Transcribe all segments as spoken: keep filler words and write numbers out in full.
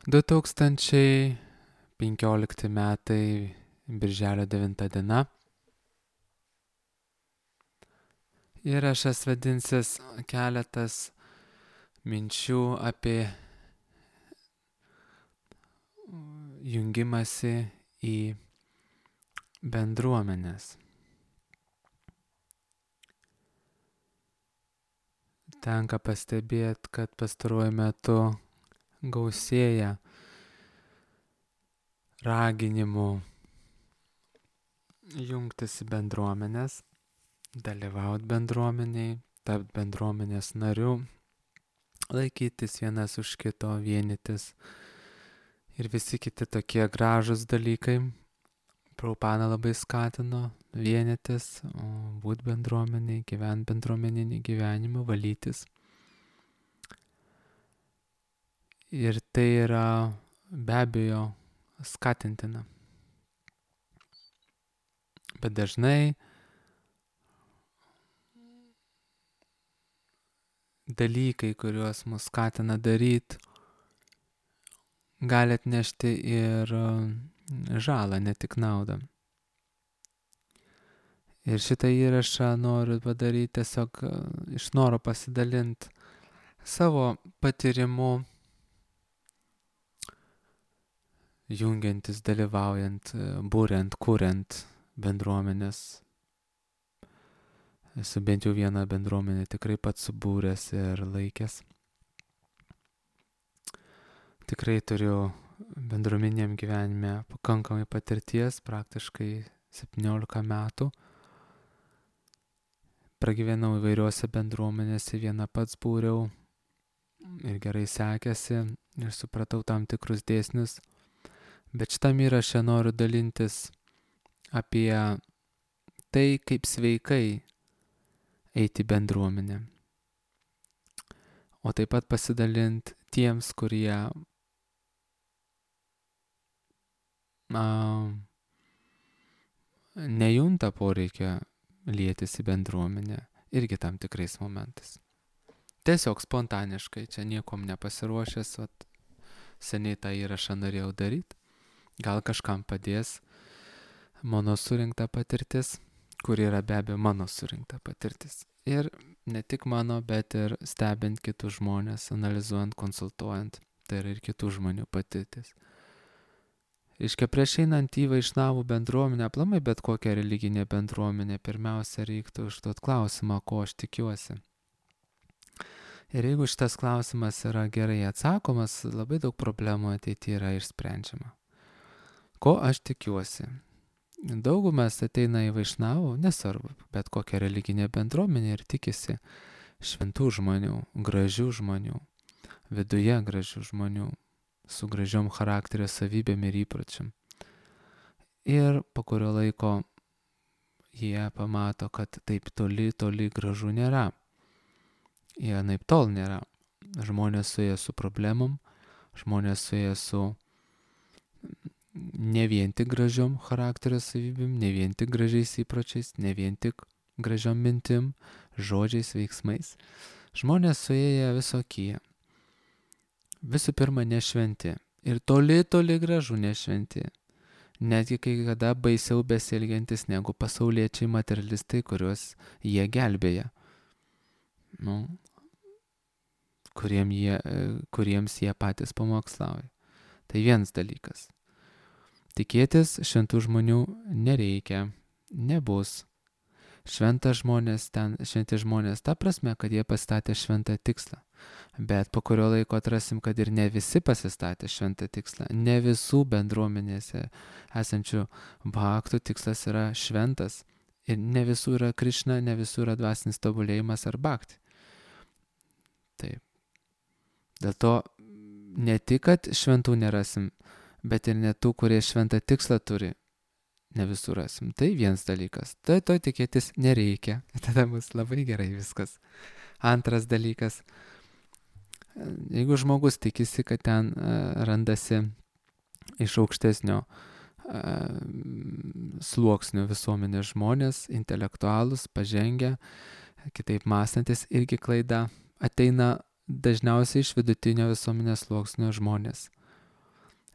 du tūkstančiai penkiolikti metai, birželio devinta diena. Įrašas vadinsis keletas minčių apie jungimąsi į bendruomenės. Tenka pastebėti, kad pastaruoju metu gausėja raginimų jungtis į bendruomenės, dalyvauti bendruomeniai, tapti bendruomenės nariu, laikytis vienas už kito, vienytis ir visi kiti tokie gražus dalykai. Prabhupada labai skatino vienytis, būti bendruomeniai, gyventi bendruomeninį gyvenimą, valytis. Ir tai yra be abejo skatintina. Bet dažnai dalykai, kuriuos mus skatina daryti, gali atnešti ir žalą, ne tik naudą. Ir šitą įrašą noriu padaryti tiesiog iš noro pasidalinti savo patyrimu, jungiantis, dalyvaujant, būriant, kuriant bendruomenės. Esu bent jau vieną bendruomenę tikrai pats subūręs ir laikęs. Tikrai turiu bendruomeniniam gyvenime pakankamai patirties, praktiškai septyniolika metų. Pragyvenau įvairiuose bendruomenėse, vieną pats būriau ir gerai sekėsi ir supratau tam tikrus dėsnius. Bet šitam įraše noriu dalintis apie tai, kaip sveikai eiti bendruomenę. O taip pat pasidalinti tiems, kurie na, nejunta poreikio lietis į bendruomenę irgi tam tikrais momentais. Tiesiog spontaniškai, čia niekom nepasiruošęs, vat, seniai tą įrašą norėjau daryti. Gal kažkam padės mano surinkta patirtis, kur yra be abejo mano surinkta patirtis. Ir ne tik mano, bet ir stebint kitus žmonės, analizuojant, konsultuojant, tai yra ir kitų žmonių patirtis. Iškia prieš einant į Vaišnavų bendruomenę, aplamai bet kokią religinę bendruomenę, pirmiausia reiktų užduoti klausimą, ko aš tikiuosi. Ir jeigu šitas klausimas yra gerai atsakomas, labai daug problemų ateityje yra išsprendžiama. Ko aš tikiuosi? Daugumas ateina į Vaišnavų, nesvarbu, bet kokią religinę bendruomenę ir tikisi šventų žmonių, gražių žmonių, viduje gražių žmonių, su gražiom charakterio savybėm ir įpročiam. Ir po kurio laiko jie pamato, kad taip toli, toli gražu nėra. Jie naip tol nėra. Žmonės suėję su problemom, žmonės suėję su ne vien tik gražiom charakterio savybėm, ne vien tik gražiais įpročiais, ne vien tik gražiom mintim, žodžiais, veiksmais. Žmonės suėję visokie. Visų pirma, nešventi. Ir toli, toli gražu nešventi. Netgi kai kada baisiau besielgiantis negu pasauliečiai materialistai, kuriuos jie gelbėja. Nu, kuriem jie, kuriems jie patys pamokslauja. Tai vienas dalykas. Tikėtis šventų žmonių nereikia, nebus. Šventas žmonės ten, šventi žmonės, ta prasme, kad jie pasistatė šventą tikslą. Bet po kurio laiko atrasim, kad ir ne visi pasistatė šventą tikslą. Ne visų bendruomenėse esančių bhaktų tikslas yra šventas. Ir ne visų yra Krišna, ne visų yra dvasinis tobulėjimas ar bhakti. Taip. Dėl to ne tik, kad šventų nerasim, bet ir ne tų, kurie šventą tikslą turi. Ne visur rasim. Tai vienas dalykas. Tai to tikėtis nereikia. Tada bus labai gerai viskas. Antras dalykas. Jeigu žmogus tikisi, kad ten uh, randasi iš aukštesnio uh, sluoksnio visuomenės žmonės, intelektualus, pažengę, kitaip mąstantis, irgi klaida. Ateina dažniausiai iš vidutinio visuomenės sluoksnio žmonės.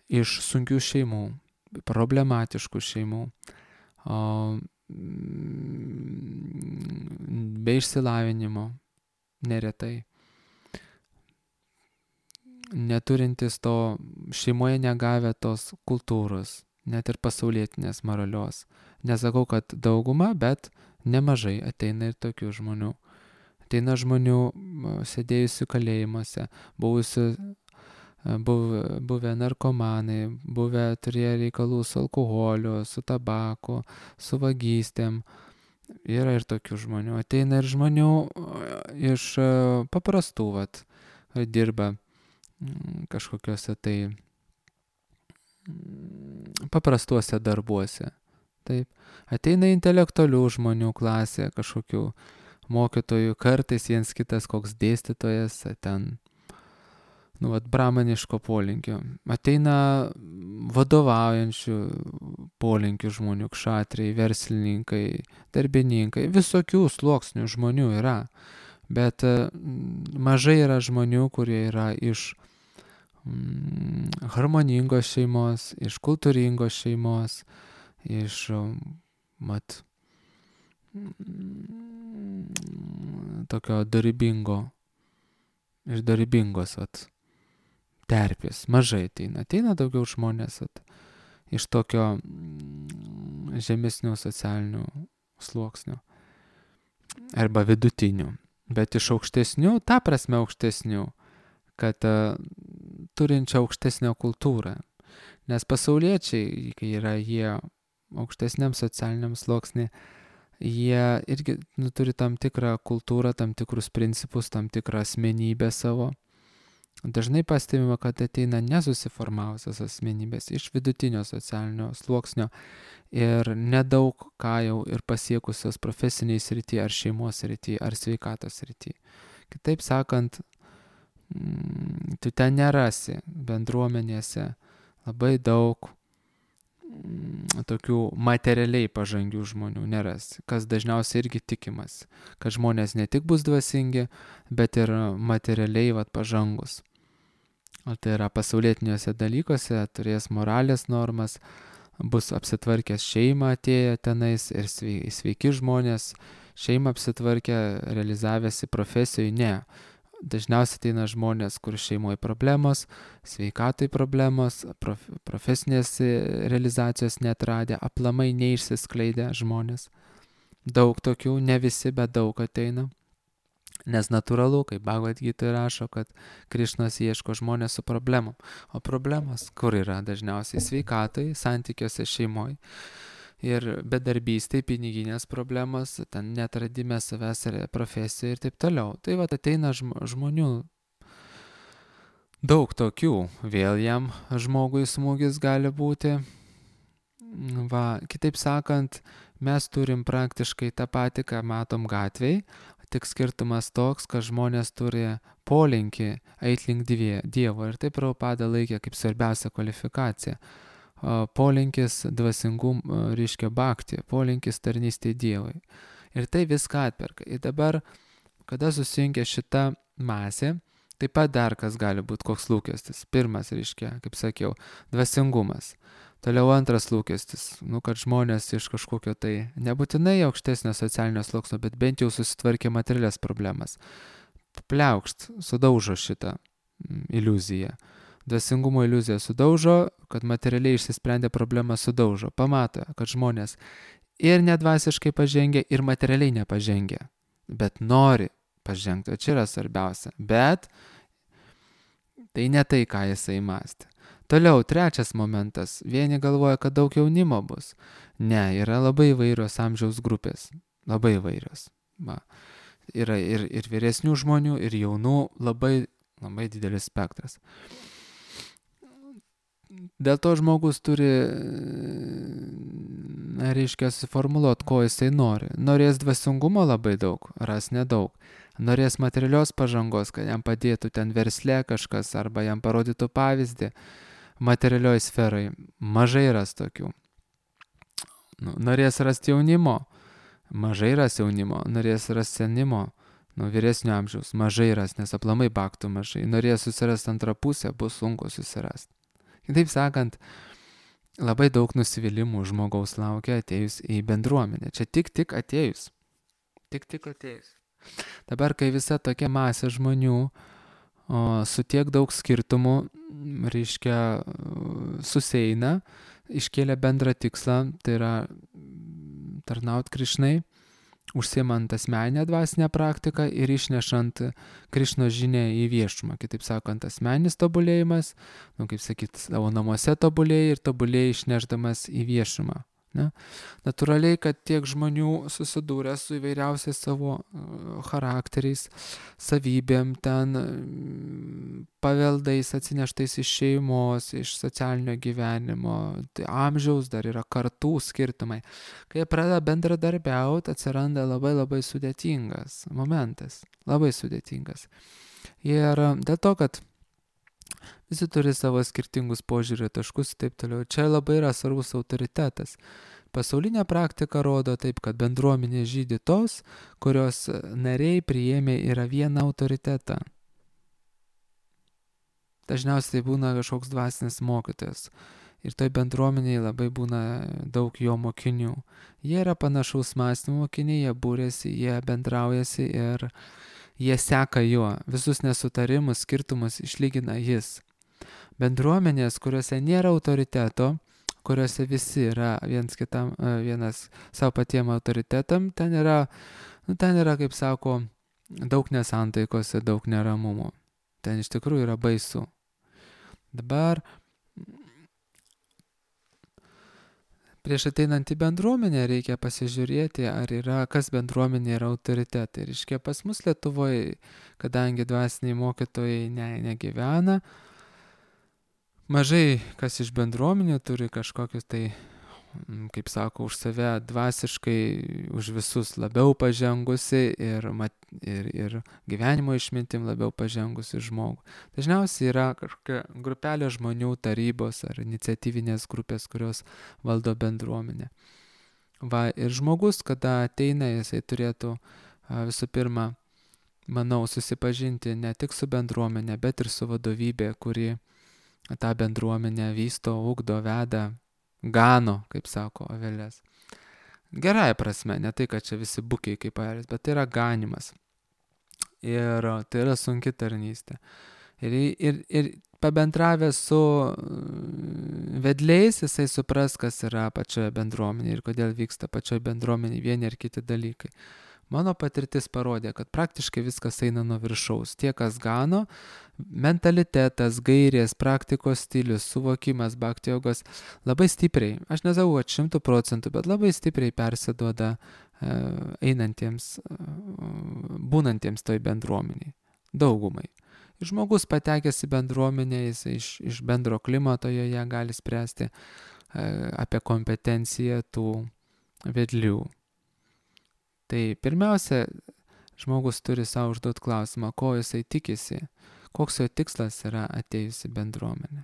iš sunkių šeimų, problematiškų šeimų, o, be išsilavinimo neretai, neturintis to, šeimoje negavę tos kultūros, net ir pasaulietinės moralios. Nesakau, kad dauguma, bet nemažai ateina ir tokių žmonių. Ateina žmonių sėdėjusių kalėjimuose, buvusių, buvę, buvę narkomanai, buvę turėję reikalų su alkoholiu, su tabaku, su vagystėm. Yra ir tokių žmonių. Ateina ir žmonių iš paprastų, vat, dirba kažkokiuose tai paprastuose darbuose. Taip. Ateina intelektualių žmonių klasė, kažkokių mokytojų, kartais viens kitas koks dėstytojas, ten, nu, vat, bramaniško polinkio. Ateina vadovaujančių polinkių žmonių, kšatriai, verslininkai, darbininkai, visokių sluoksnių žmonių yra. Bet mažai yra žmonių, kurie yra iš mm, harmoningos šeimos, iš kultūringos šeimos, iš, mat, tokio dorybingo, iš dorybingos, vat, terpės. Mažai ateina. Ateina daugiau žmonės, vat, iš tokio žemesnių socialinių sluoksnių arba vidutinių. Bet iš aukštesnių, ta prasme aukštesnių, kad uh, turinčia aukštesnę kultūrą. Nes pasauliečiai, kai yra jie aukštesniam socialiniam sluoksnį, jie irgi nu, turi tam tikrą kultūrą, tam tikrus principus, tam tikrą asmenybę savo. Dažnai pastebima, kad ateina nesusiformavusios asmenybės iš vidutinio socialinio sluoksnio ir nedaug ką jau ir pasiekusios profesiniai srity, ar šeimos srity, ar sveikatos srity. Kitaip sakant, tu ten nerasi bendruomenėse labai daug tokių materialiai pažangių žmonių nerasi, kas dažniausiai irgi tikimas, kad žmonės ne tik bus dvasingi, bet ir materialiai vat, pažangus. O tai yra pasaulietiniuose dalykuose, turės moralės normas, bus apsitvarkęs šeimą atėję tenais ir sveiki žmonės, šeimą apsitvarkę, realizavęsi profesijoje, ne. Dažniausiai ateina žmonės, kur šeimoje problemos, sveikatai problemos, prof, profesinės realizacijos neatradę, aplamai neišsiskleidę žmonės. Daug tokių, ne visi, bet daug ateina. Nes natūralu, kaip Bhagavad Gita rašo, kad Krišnas ieško žmonės su problemom. O problemas kur yra dažniausiai? Sveikatai, santykiuose šeimoje. Ir bedarbystė, piniginės problemos, ten netradime savęs profesijoje ir taip toliau. Tai va ateina žmonių, daug tokių, vėl jam žmogui smūgis gali būti. Va, kitaip sakant, mes turim praktiškai tą patį, ką matom gatvėj, tik skirtumas toks, kad žmonės turi polinkį eit link Dievo ir taip Prabhupada laikė kaip svarbiausia kvalifikacija. Polinkis dvasingum, reiškia bhakti, polinkis tarnystė Dievui. Ir tai viską atperka. Ir dabar, kada susirinkia šita masė, taip pat dar kas gali būti koks lūkestis. Pirmas, reiškia, kaip sakiau, dvasingumas. Toliau antras lūkestis, nu, kad žmonės iš kažkokio tai nebūtinai aukštesnio socialinio sluoksnio, bet bent jau susitvarkė materialias problemas. Pliaukšt, sudaužo šitą iliuziją. Dvasingumo iliuziją sudaužo, kad materialiai išsisprendė problemą sudaužo. Pamato, kad žmonės ir nedvasiškai pažengia, ir materialiai nepažengia. Bet nori pažengti, o čia yra svarbiausia. Bet tai ne tai, ką jisai mąstė. Toliau, trečias momentas. Vieni galvoja, kad daug jaunimo bus. Ne, yra labai įvairios amžiaus grupės. Labai įvairios. Va. Yra ir, ir vyresnių žmonių, ir jaunų, labai, labai didelis spektras. Dėl to žmogus turi, reiškia, suformuluoti, ko jisai nori. Norės dvasingumo labai daug, ras nedaug. Norės materialios pažangos, kad jam padėtų ten versle kažkas, arba jam parodytų pavyzdį materialioj sferai. Mažai ras tokių. Norės rasti jaunimo, mažai ras jaunimo. Norės rasti senimo, nu, vyresnio amžiaus, mažai ras, nes aplamai baktų mažai. Norės susirasti antrą pusę, bus sunku susirasti. Kitaip sakant, labai daug nusivylimų žmogaus laukia atėjus į bendruomenę. Čia tik tik atėjus. Tik tik atėjus. Dabar, kai visa tokia masė žmonių o, su tiek daug skirtumų, reiškia, susieina, iškėlė bendrą tikslą, tai yra tarnaut Krišnai, užsiimant asmeninę dvasinę praktiką ir išnešant Krišnos žinią į viešumą. Kitaip sakant, asmeninis tobulėjimas, nu, kaip sakyt, savo namuose tobulėjai ir tobulėjai išnešdamas į viešumą. Ne? Natūraliai, kad tiek žmonių susidūrė su įvairiausiais savo charakteriais, savybėm, ten paveldais atsineštais iš šeimos, iš socialinio gyvenimo, tai amžiaus dar yra kartų skirtumai. Kai jie pradeda bendradarbiauti, atsiranda labai labai sudėtingas momentas, labai sudėtingas. Ir dėl to, kad visi turi savo skirtingus požiūrio taškus ir taip toliau. Čia labai yra svarbus autoritetas. Pasaulinė praktika rodo taip, kad bendruomenė žydi tos, kurios nariai priėmė yra vieną autoritetą. Dažniausiai tai būna kažkoks dvasinis mokytojas. Ir toj bendruomenėje labai būna daug jo mokinių. Jie yra panašaus mąstymo mokiniai, jie būrėsi, jie bendraujasi ir jie seka juo. Visus nesutarimus, skirtumus išlygina jis. Bendruomenės, kuriuose nėra autoriteto, kuriuose visi yra viens kitam, vienas savo patiem autoritetam, ten yra, nu, ten yra, kaip sako, daug nesantaikos ir daug neramumų. Ten iš tikrųjų yra baisu. Dabar prieš ateinant į bendruomenę reikia pasižiūrėti, ar yra, kas bendruomenė yra autoritetai. Ir iškia pas mus Lietuvoje, kadangi dvasiniai mokytojai ne, negyvena, mažai kas iš bendruomenių turi kažkokius tai, kaip sako, už save dvasiškai, už visus labiau pažengusi ir, ir, ir gyvenimo išmintim labiau pažengusi žmogų. Dažniausiai yra kažkokia grupelė žmonių, tarybos ar iniciatyvinės grupės, kurios valdo bendruomenę. Va, ir žmogus, kada ateina, jisai turėtų visų pirma, manau, susipažinti ne tik su bendruomenė, bet ir su vadovybė, kuri tą bendruomenę vysto, ugdo, veda, gano, kaip sako Avelės. Gerąja prasme, ne tai, kad čia visi bukiai kaip airės, bet tai yra ganimas. Ir tai yra sunki tarnystė. Ir, ir, ir pabendravęs su vedliais, jisai supras, kas yra pačioje bendruomenėje ir kodėl vyksta pačioje bendruomenėje vieni ar kiti dalykai. Mano patirtis parodė, kad praktiškai viskas eina nuo viršaus. Tie, kas gano, mentalitetas, gairės, praktikos stilius, suvokimas, bhakti jogos labai stipriai, aš nesakau, kad šimtų procentų, bet labai stipriai persiduoda e, einantiems, e, būnantiems toj bendruomeniai, daugumai. Ir žmogus patekęs į bendruomenę, jis iš, iš bendro klimato joje gali spręsti e, apie kompetenciją tų vedlių. Tai pirmiausia, žmogus turi savo užduoti klausimą, ko jisai tikisi, koks jo tikslas yra atėjus į bendruomenę.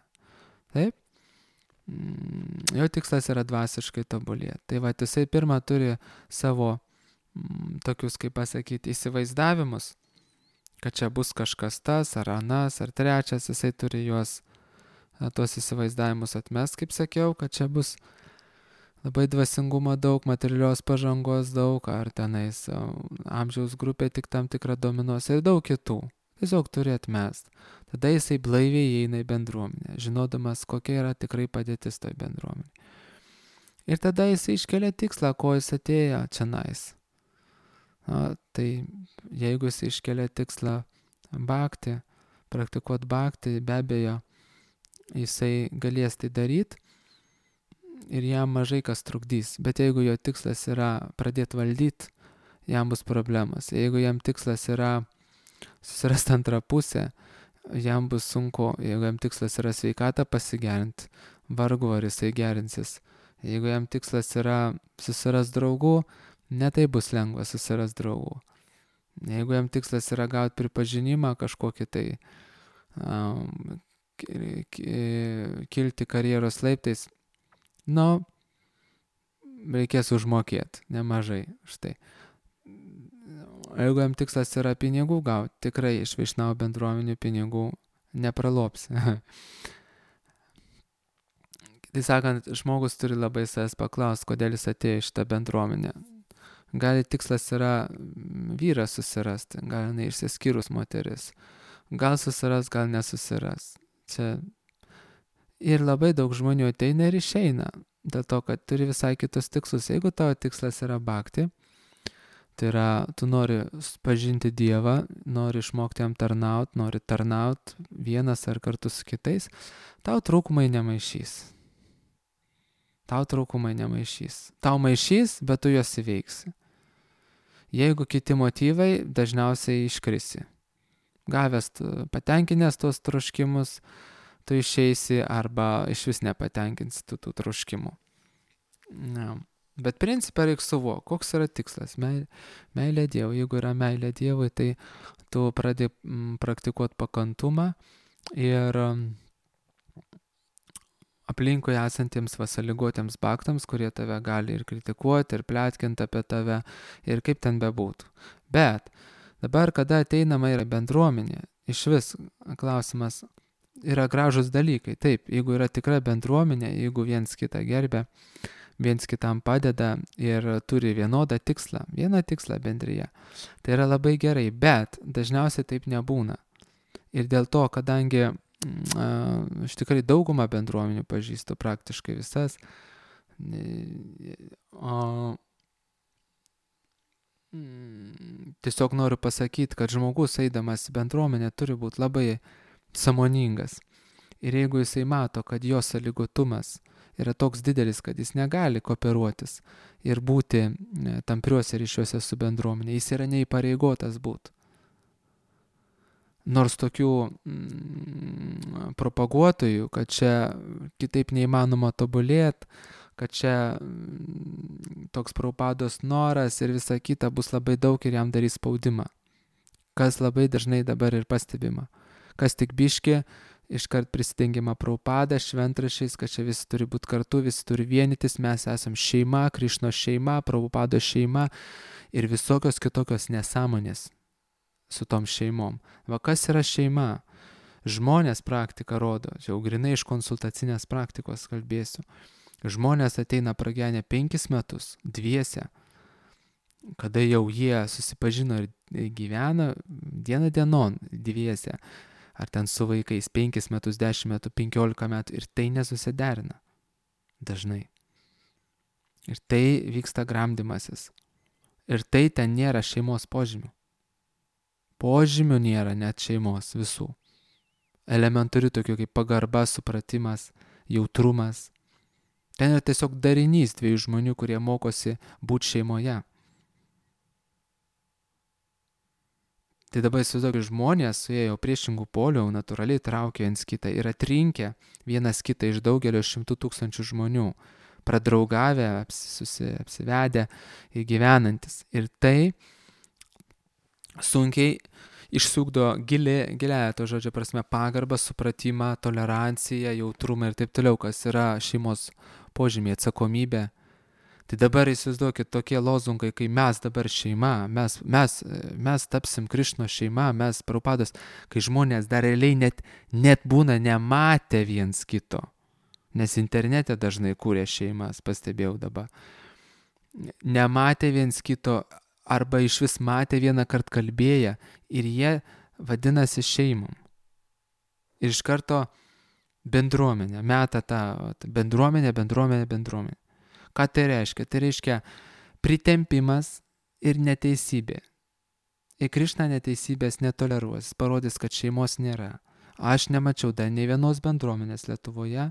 Taip? Jo tikslas yra dvasiškai tobulėti. Tai va, jisai pirmą turi savo m, tokius, kaip pasakyti, įsivaizdavimus, kad čia bus kažkas tas, ar anas, ar trečias, jisai turi juos, tuos įsivaizdavimus atmest, kaip sakiau, kad čia bus labai dvasingumo daug, materialios pažangos daug, ar tenais amžiaus grupė tik tam tikrą dominuos ir daug kitų. Tiesiog turi atmest. Tada jisai blaiviai įeina į bendruomenę, žinodamas, kokia yra tikrai padėtis toj bendruomenė. Ir tada jisai iškelia tikslą, ko jis atėjo čionais. Na, tai jeigu jisai iškelia tikslą bhakti, praktikuot bhakti, be abejo, jisai galės tai daryti. Ir jam mažai kas trukdys. Bet jeigu jo tikslas yra pradėti valdyti, jam bus problemas. Jeigu jam tikslas yra susirasti antrą pusę, jam bus sunku. Jeigu jam tikslas yra sveikatą pasigerinti, vargu ar jisai gerinsis. Jeigu jam tikslas yra susirasti draugų, netai bus lengva susirasti draugų. Jeigu jam tikslas yra gauti pripažinimą kažkokį tai um, kilti karjeros laiptais, nu, reikės užmokėti nemažai. Štai. Jeigu jam tikslas yra pinigų gauti, tikrai iš Vaišnavų bendruomenių pinigų nepralops. Tai sakant, žmogus turi labai savęs paklausti, kodėl jis atėjo į šitą bendruomenę. Gali tikslas yra vyrą susirasti, gal neišsiskyrus moteris. Gal susiras, gal nesusiras. Čia ir labai daug žmonių ateina ir išeina, dėl to, kad turi visai kitus tikslus. Jeigu tavo tikslas yra bhakti, tai yra, tu nori pažinti Dievą, nori išmokti jam tarnaut, nori tarnaut vienas ar kartu su kitais, tau trūkumai nemaišys. Tau trūkumai nemaišys. Tau maišys, bet tu juos įveiksi. Jeigu kiti motyvai, dažniausiai iškrisi. Gavęs, patenkinęs tuos troškimus, tu išeisi arba iš vis nepatenkinsi tų, tų troškimų. Na. Bet principą reikia suvokti, koks yra tikslas. Meilė, meilė Dievui. Jeigu yra meilė Dievui, tai tu pradedi praktikuoti pakantumą ir aplinkui esantiems vasaligotiems baktams, kurie tave gali ir kritikuoti, ir plėtkinti apie tave, ir kaip ten bebūtų. Bet dabar, kada ateinama yra bendruomenė, iš vis klausimas yra gražus dalykai. Taip, jeigu yra tikra bendruomenė, jeigu viens kitą gerbia, viens kitam padeda ir turi vienodą tikslą, vieną tikslą bendryje, tai yra labai gerai, bet dažniausiai taip nebūna. Ir dėl to, kadangi aš tikrai daugumą bendruomenių pažįstu, praktiškai visas, o tiesiog noriu pasakyti, kad žmogus eidamas į bendruomenę turi būti labai sąmoningas. Ir jeigu jisai mato, kad jo sąlygotumas yra toks didelis, kad jis negali kooperuotis ir būti tampriuose ryšiuose su bendruomenė, jis yra neįpareigotas būti. Nors tokių mm, propaguotojų, kad čia kitaip neįmanoma tobulėti, kad čia mm, toks Prabhupados noras ir visa kita bus labai daug ir jam darys spaudimą. Kas labai dažnai dabar ir pastebima. Kas tik biški, iškart prisidengiama Prabhupada šventrašiais, kad čia visi turi būti kartu, visi turi vienytis, mes esam šeima, Krišnos šeima, Prabhupados šeima ir visokios kitokios nesąmonės su tom šeimom. Va kas yra šeima? Žmonės praktika rodo, čia jau grinai iš konsultacinės praktikos kalbėsiu. Žmonės ateina pragyvenę penkis metus, dviese, kada jau jie susipažino ir gyvena dieną dienon dviese, ar ten su vaikais penkis metus, dešimt metų, penkiolika metų ir tai nesusiderina dažnai. Ir tai vyksta gramdymasis. Ir tai ten nėra šeimos požymių. Požymių nėra net šeimos visų. Elementarių tokių kaip pagarba, supratimas, jautrumas. Ten yra tiesiog darinys dviejų žmonių, kurie mokosi būti šeimoje. Tai dabar įsivaizduokit, žmonės suėjo priešingų polių, natūraliai traukė viens kitą ir atrinkę vienas kitą iš daugelio šimtų tūkstančių žmonių, pradraugavę, apsi, apsivedę ir gyvenantis. Ir tai sunkiai išsugdo gilį, giliąją to žodžio prasme pagarbą, supratimą, toleranciją, jautrumą ir taip toliau, kas yra šeimos požymiai, atsakomybė. Tai dabar įsivaizduokit tokie lozungai, kai mes dabar šeima, mes, mes, mes tapsim Krišnos šeima, mes Prabhupados, kai žmonės dar realiai net, net būna nematę viens kito, nes internete dažnai kūrė šeimas, pastebėjau dabar. Nematė viens kito, arba iš vis matė vieną kartą kalbėję ir jie vadinasi šeimom. Ir iš karto bendruomenė, meta tą bendruomenę, bendruomenę, bendruomenę. Ką tai reiškia? Tai reiškia pritempimas ir neteisybė. Ir Krišna neteisybės netoleruos, parodys, kad šeimos nėra. Aš nemačiau dar nei vienos bendruomenės Lietuvoje,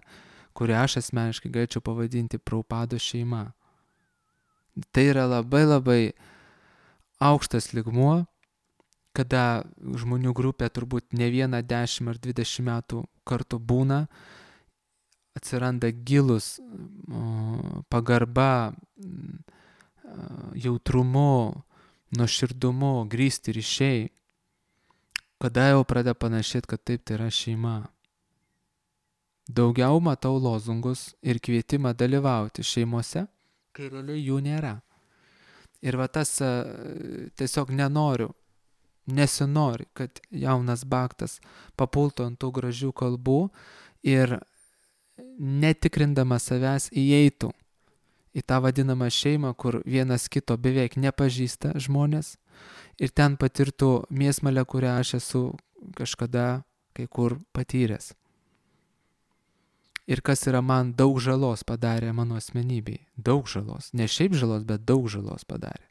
kurią aš asmeniškai galėčiau pavadinti Prabhupados šeima. Tai yra labai labai aukštas lygmuo, kada žmonių grupė turbūt ne vieną dešimt ar dvidešimt metų kartu būna, atsiranda gilus pagarba, jautrumu, nuoširdumu, grįsti ryšiai, kada jau pradeda panašėti, kad taip tai yra šeima. Daugiau matau lozungus ir kvietimą dalyvauti šeimose, kai realiai jų nėra. Ir va tas tiesiog nenoriu, nesinori, kad jaunas baktas papultų ant tų gražių kalbų ir netikrindamas savęs įeitų į tą vadinamą šeimą, kur vienas kito beveik nepažįsta žmonės ir ten patirtų mėsmalę, kurią aš esu kažkada kai kur patyręs. Ir kas yra man daug žalos padarė mano asmenybei. Daug žalos. Ne šiaip žalos, bet daug žalos padarė.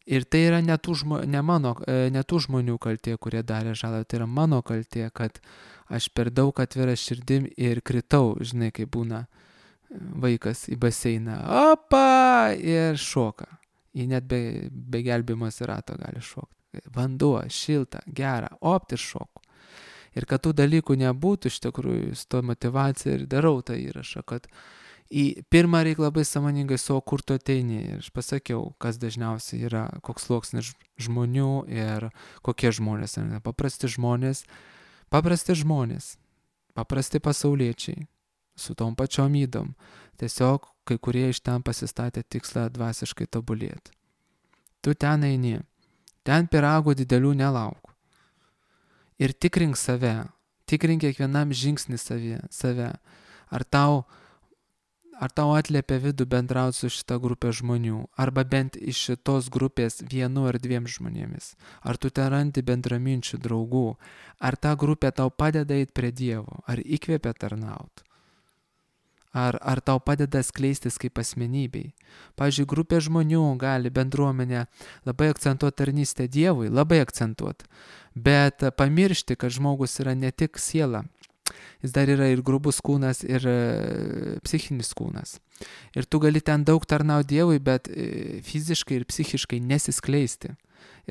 Ir tai yra ne tų, žmo, ne mano, ne tų žmonių kaltė, kurie darė žalą, tai yra mano kaltė, kad aš per daug atvira širdim ir kritau, žinai, kai būna vaikas į baseiną, opa, ir šoka. Jį net be, be gelbėjimosi rato gali šokti. Vanduo, šilta, gera, opt ir šoku. Ir kad tų dalykų nebūtų, iš tikrųjų, su to motyvacija ir darau tą įrašą, kad į pirmą reikia labai sąmoningai savo, kur tu ateini. Ir aš pasakiau, kas dažniausiai yra, koks sluoksnis žmonių ir kokie žmonės. Paprasti žmonės, paprasti žmonės, paprasti pasauliečiai, su tom pačiom ydom. Tiesiog kai kurie iš ten pasistatė tikslą dvasiškai tobulėti. Tu ten eini, ten pyragų didelių nelauk. Ir tikrink save, tikrink kiekvienam žingsnį savie, save. Ar tau, ar tau atliepia vidų bendrauti su šita grupė žmonių, arba bent iš šitos grupės vienu ar dviem žmonėmis. Ar tu ten randi bendraminčių draugų, ar ta grupė tau padeda eiti prie Dievo, ar įkvėpia tarnauti. Ar, ar tau padeda skleistis kaip asmenybei. Pavyzdžiui, grupė žmonių gali bendruomenę labai akcentuoti tarnystę Dievui, labai akcentuoti, bet pamiršti, kad žmogus yra ne tik siela, jis dar yra ir grubus kūnas, ir psichinis kūnas. Ir tu gali ten daug tarnauti Dievui, bet fiziškai ir psichiškai nesiskleisti.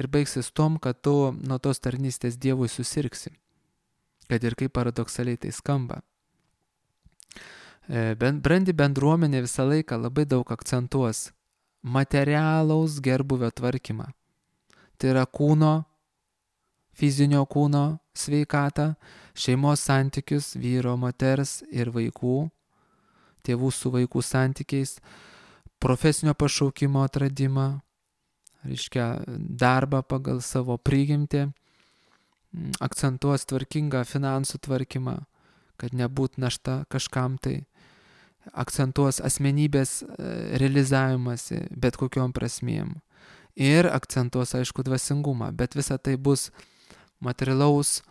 Ir baigsis tom, kad tu nuo tos tarnystės Dievui susirgsi. Kad ir kaip paradoksaliai tai skamba. Brandi bendruomenė visą laiką labai daug akcentuos materialaus gerbuvio tvarkymą. Tai yra kūno, fizinio kūno sveikatą, šeimos santykius, vyro, moters ir vaikų, tėvų su vaikų santykiais, profesinio pašaukimo atradimą, reiškia darbą pagal savo prigimtį, akcentuos tvarkingą finansų tvarkymą, kad nebūt našta kažkam tai, akcentuos asmenybės realizavimąsi bet kokiom prasmėm ir akcentuos, aišku, dvasingumą, bet visa tai bus materialaus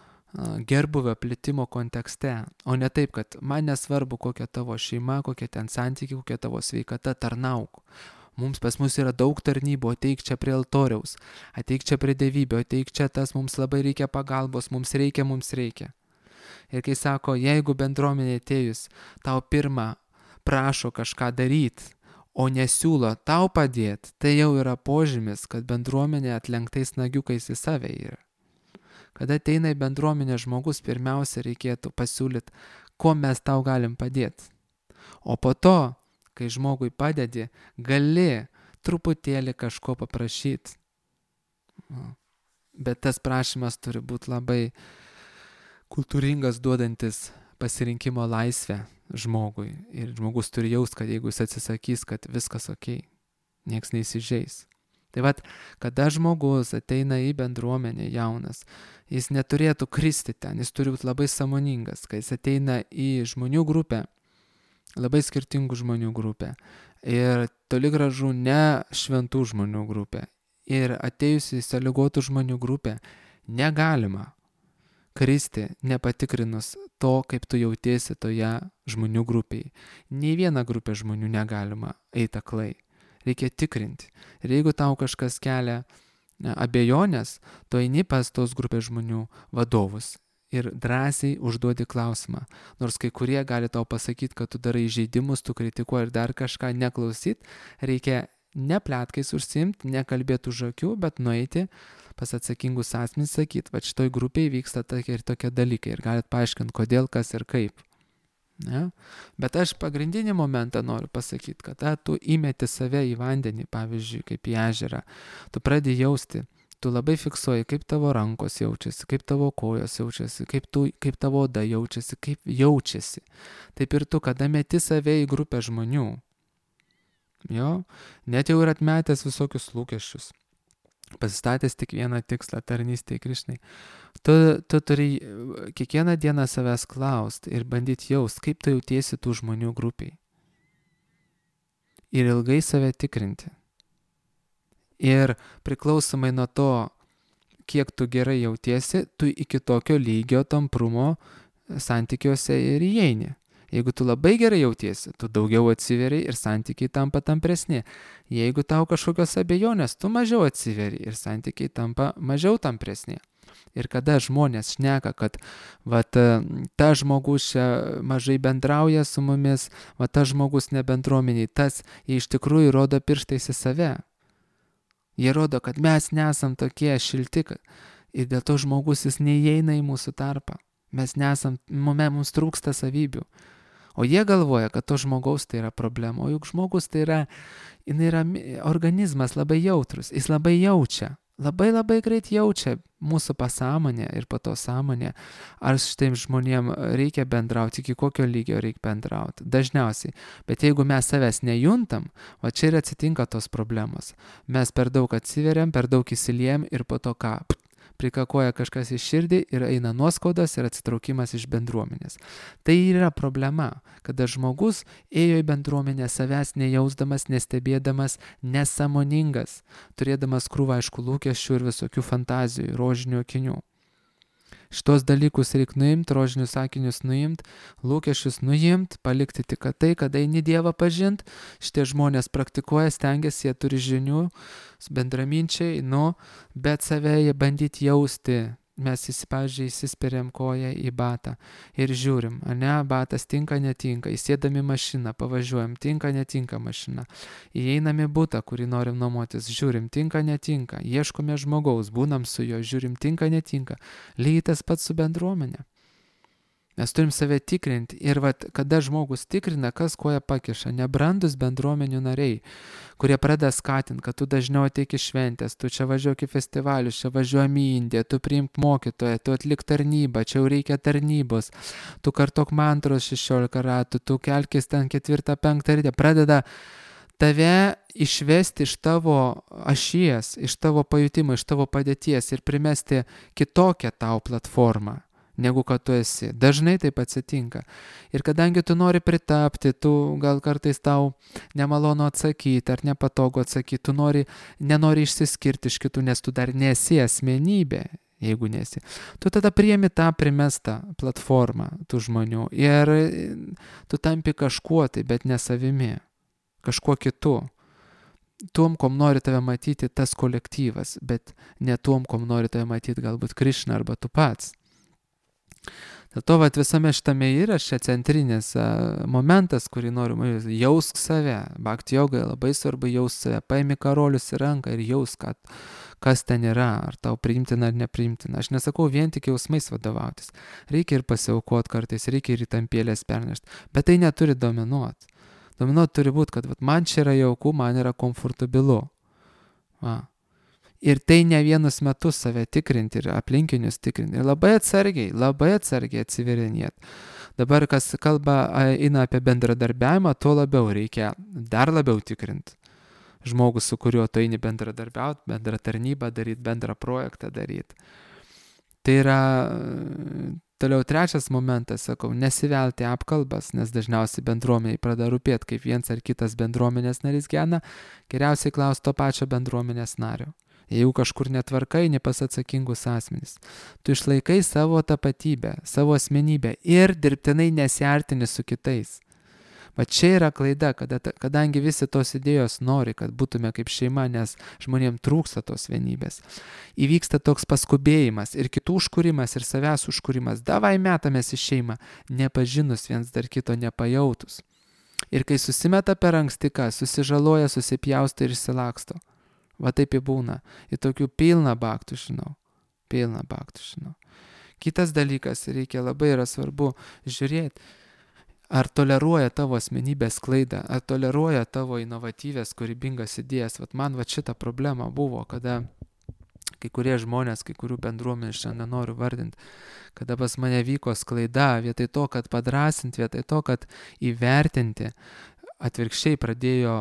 gerbuvio plitimo kontekste, o ne taip, kad man nesvarbu, kokia tavo šeima, kokia ten santykiai, kokia tavo sveikata, tarnauk. Mums pas mus yra daug tarnybų, ateik čia prie altoriaus, ateik čia prie dievybė, ateik čia tas, mums labai reikia pagalbos, mums reikia, mums reikia. Ir kai sako, jeigu bendruomenė atėjus, tau pirmą prašo kažką daryti, o nesiūlo tau padėti, tai jau yra požymis, kad bendruomenė atlenktais nagiukais į save yra. Kada ateina į bendruomenę žmogus, pirmiausia reikėtų pasiūlyti, kuo mes tau galim padėti. O po to, kai žmogui padedi, gali truputėlį kažko paprašyti. Bet tas prašymas turi būti labai kultūringas, duodantis pasirinkimo laisvę žmogui. Ir žmogus turi jaust, kad jeigu jis atsisakys, kad viskas okei, nieks neįsižeis. Tai vat, kada žmogus ateina į bendruomenę jaunas, jis neturėtų kristi ten, jis turi būti labai sąmoningas, kai jis ateina į žmonių grupę, labai skirtingų žmonių grupę. Ir toli gražu ne šventų žmonių grupę. Ir atėjus į sąlygotų žmonių grupę negalima kristi nepatikrinus to, kaip tu jautiesi toje žmonių grupėje. Nei viena grupė žmonių negalima eiti aklai. Reikia tikrinti. Ir jeigu tau kažkas kelia abejonės, tu eini pas tos grupės žmonių vadovus ir drąsiai užduodi klausimą. Nors kai kurie gali tau pasakyti, kad tu darai žaidimus, tu kritikuoji ir dar kažką, neklausyt, reikia ne pletkais užsiimti, nekalbėti už akių, bet nueiti pas atsakingus asmenys, sakyti, va šitoj grupėje vyksta tokie ir tokie dalykai ir galit paaiškinti, kodėl, kas ir kaip. Ne? Bet aš pagrindinį momentą noriu pasakyti, kad ta, tu įmeti save į vandenį, pavyzdžiui, kaip į ežerą, tu pradedi jausti, tu labai fiksuoji, kaip tavo rankos jaučiasi, kaip tavo kojos jaučiasi, kaip, tu, kaip tavo oda jaučiasi, kaip jaučiasi. Taip ir tu, kada meti save į grupę žmonių, jo, net jau ir atmetęs visokius lūkesčius, pasistatęs tik vieną tikslą - tarnystė Krišnai. Tu, tu turi kiekvieną dieną savęs klausti ir bandyti jaust, kaip tu jautiesi tų žmonių grupiai. Ir ilgai save tikrinti. Ir priklausomai nuo to, kiek tu gerai jautiesi, tu iki tokio lygio tamprumo santykiuose ir įeini. Jeigu tu labai gerai jautiesi, tu daugiau atsiveri ir santykiai tampa tampresni. Jeigu tau kažkokios abejonės, tu mažiau atsiveri ir santykiai tampa mažiau tampresni. Ir kada žmonės šneka, kad vat, ta žmogus čia mažai bendrauja su mumis, vat, ta žmogus nebendruomeniai, tas jie iš tikrųjų rodo pirštais į save. Jie rodo, kad mes nesam tokie šilti ir dėl to žmogus jis neįeina į mūsų tarpą. Mes nesam, mums trūksta savybių. O jie galvoja, kad to žmogaus tai yra problema. O juk žmogus tai yra, jinai yra organizmas labai jautrus. Jis labai jaučia. Labai labai greit jaučia mūsų pasąmonė ir po to sąmonė. Ar šitiem žmonėm reikia bendrauti, iki kokio lygio reikia bendrauti. Dažniausiai. Bet jeigu mes savęs nejuntam, va čia ir atsitinka tos problemos. Mes per daug atsiveriam, per daug įsiliejam ir po to ką? Prikakoja kažkas į širdį ir eina nuoskaudas ir atsitraukimas iš bendruomenės. Tai yra problema, kada žmogus ėjo į bendruomenę savęs nejausdamas, nestebėdamas, nesąmoningas, turėdamas krūvą aišku lūkesčių ir visokių fantazijų, rožinių akinių. Šitos dalykus reikia nuimti, rožinius akinius nuimti, lūkesčius nuimti, palikti tik tai, kada eini Dievą pažinti. Šitie žmonės praktikuoja, stengiasi, jie turi žinių, bendraminčiai, nu, bet save jie bandyti jausti. Mes įsipažiai įsisperiam koją į batą ir žiūrim, ane, batas tinka, netinka, įsėdami mašiną, pavažiuojam, tinka, netinka mašina, įeinami butą, kurį norim nuomotis, žiūrim, tinka, netinka, ieškome žmogaus, būnam su juo, žiūrim, tinka, netinka, lygiai tas pats su bendruomenė. Mes turim save tikrinti ir vat, kada žmogus tikrina, kas koja pakiša, nebrandus bendruomenių nariai, kurie pradeda skatinti, kad tu dažniau ateik į šventės, tu čia važiuok į festivalius, čia važiuojam į Indiją, tu priimk mokytoją, tu atlik tarnybą, čia jau reikia tarnybos, tu kartok mantros šešiolika ratų, tu kelkis ten ketvirtą, penktą rytę, pradeda tave išvesti iš tavo ašies, iš tavo pajutimo, iš tavo padėties ir primesti kitokią tau platformą, negu kad tu esi. Dažnai taip atsitinka. Ir kadangi tu nori pritapti, tu gal kartais tau nemalonu atsakyti ar nepatogu atsakyti, tu nori, nenori išsiskirti iš kitų, nes tu dar nesi asmenybė, jeigu nesi. Tu tada priemi tą primestą platformą tų žmonių ir tu tampi kažkuo tai, bet ne savimi, kažkuo kitu. Tuom, kom nori tave matyti tas kolektyvas, bet ne tuom, kom nori tave matyti galbūt Krišna arba tu pats. Dėl to vat, visame šitame yra šia centrinis a, momentas, kurį noriu, jausk save. Bhakti jogai labai svarbu jausk save. Paimi karolius į ranką ir jausk, kad, kas ten yra, ar tau priimtina ar nepriimtina. Aš nesakau vien tik jausmais vadovautis. Reikia ir pasiaukoti kartais, reikia ir į tampėlės pernešti. Bet tai neturi dominuoti. Dominuoti turi būti, kad vat, man čia yra jauku, man yra komfortabilu. Va. Ir tai ne vienus metus save tikrinti ir aplinkinius tikrinti. Ir labai atsargiai, labai atsargiai atsiverinėti. Dabar, kas kalba eina apie bendradarbiavimą, tuo labiau reikia dar labiau tikrinti. Žmogus, su kuriuo tu eini bendradarbiauti, bendrą tarnybą daryti, bendrą projektą daryti. Tai yra toliau trečias momentas, sakau, nesivelti apkalbas, nes dažniausiai bendruomeniai pradeda rūpėti, kaip viens ar kitas bendruomenės narys gyvena, geriausiai klausti to pačio bendruomenės nario. Jeigu kažkur netvarkai, ne pas atsakingus asmenys. Tu išlaikai savo tapatybę, savo asmenybę ir dirbtinai nesiartini su kitais. Va čia yra klaida, kada, kadangi visi tos idėjos nori, kad būtume kaip šeima, nes žmonėms trūksta tos vienybės. Įvyksta toks paskubėjimas ir kitų užkūrimas ir savęs užkūrimas. Davai metamės į šeimą, nepažinus viens dar kito, nepajautus. Ir kai susimeta per anksti, ką, susižaloja, susipjausto ir išsilaksto. Va taip ir būna. Ir tokių pilną baktų žinau. Pilną baktų žinau. Kitas dalykas, reikia labai yra svarbu žiūrėti, ar toleruoja tavo asmenybės klaidą, ar toleruoja tavo inovatyvės, kūrybingas idėjas. Vat man va šita problema buvo, kada kai kurie žmonės, kai kurių bendruomenės, šiandien nenoriu vardinti, kada pas mane vyko sklaida, vietoj to, kad padrasinti, vietoj to, kad įvertinti, atvirkščiai pradėjo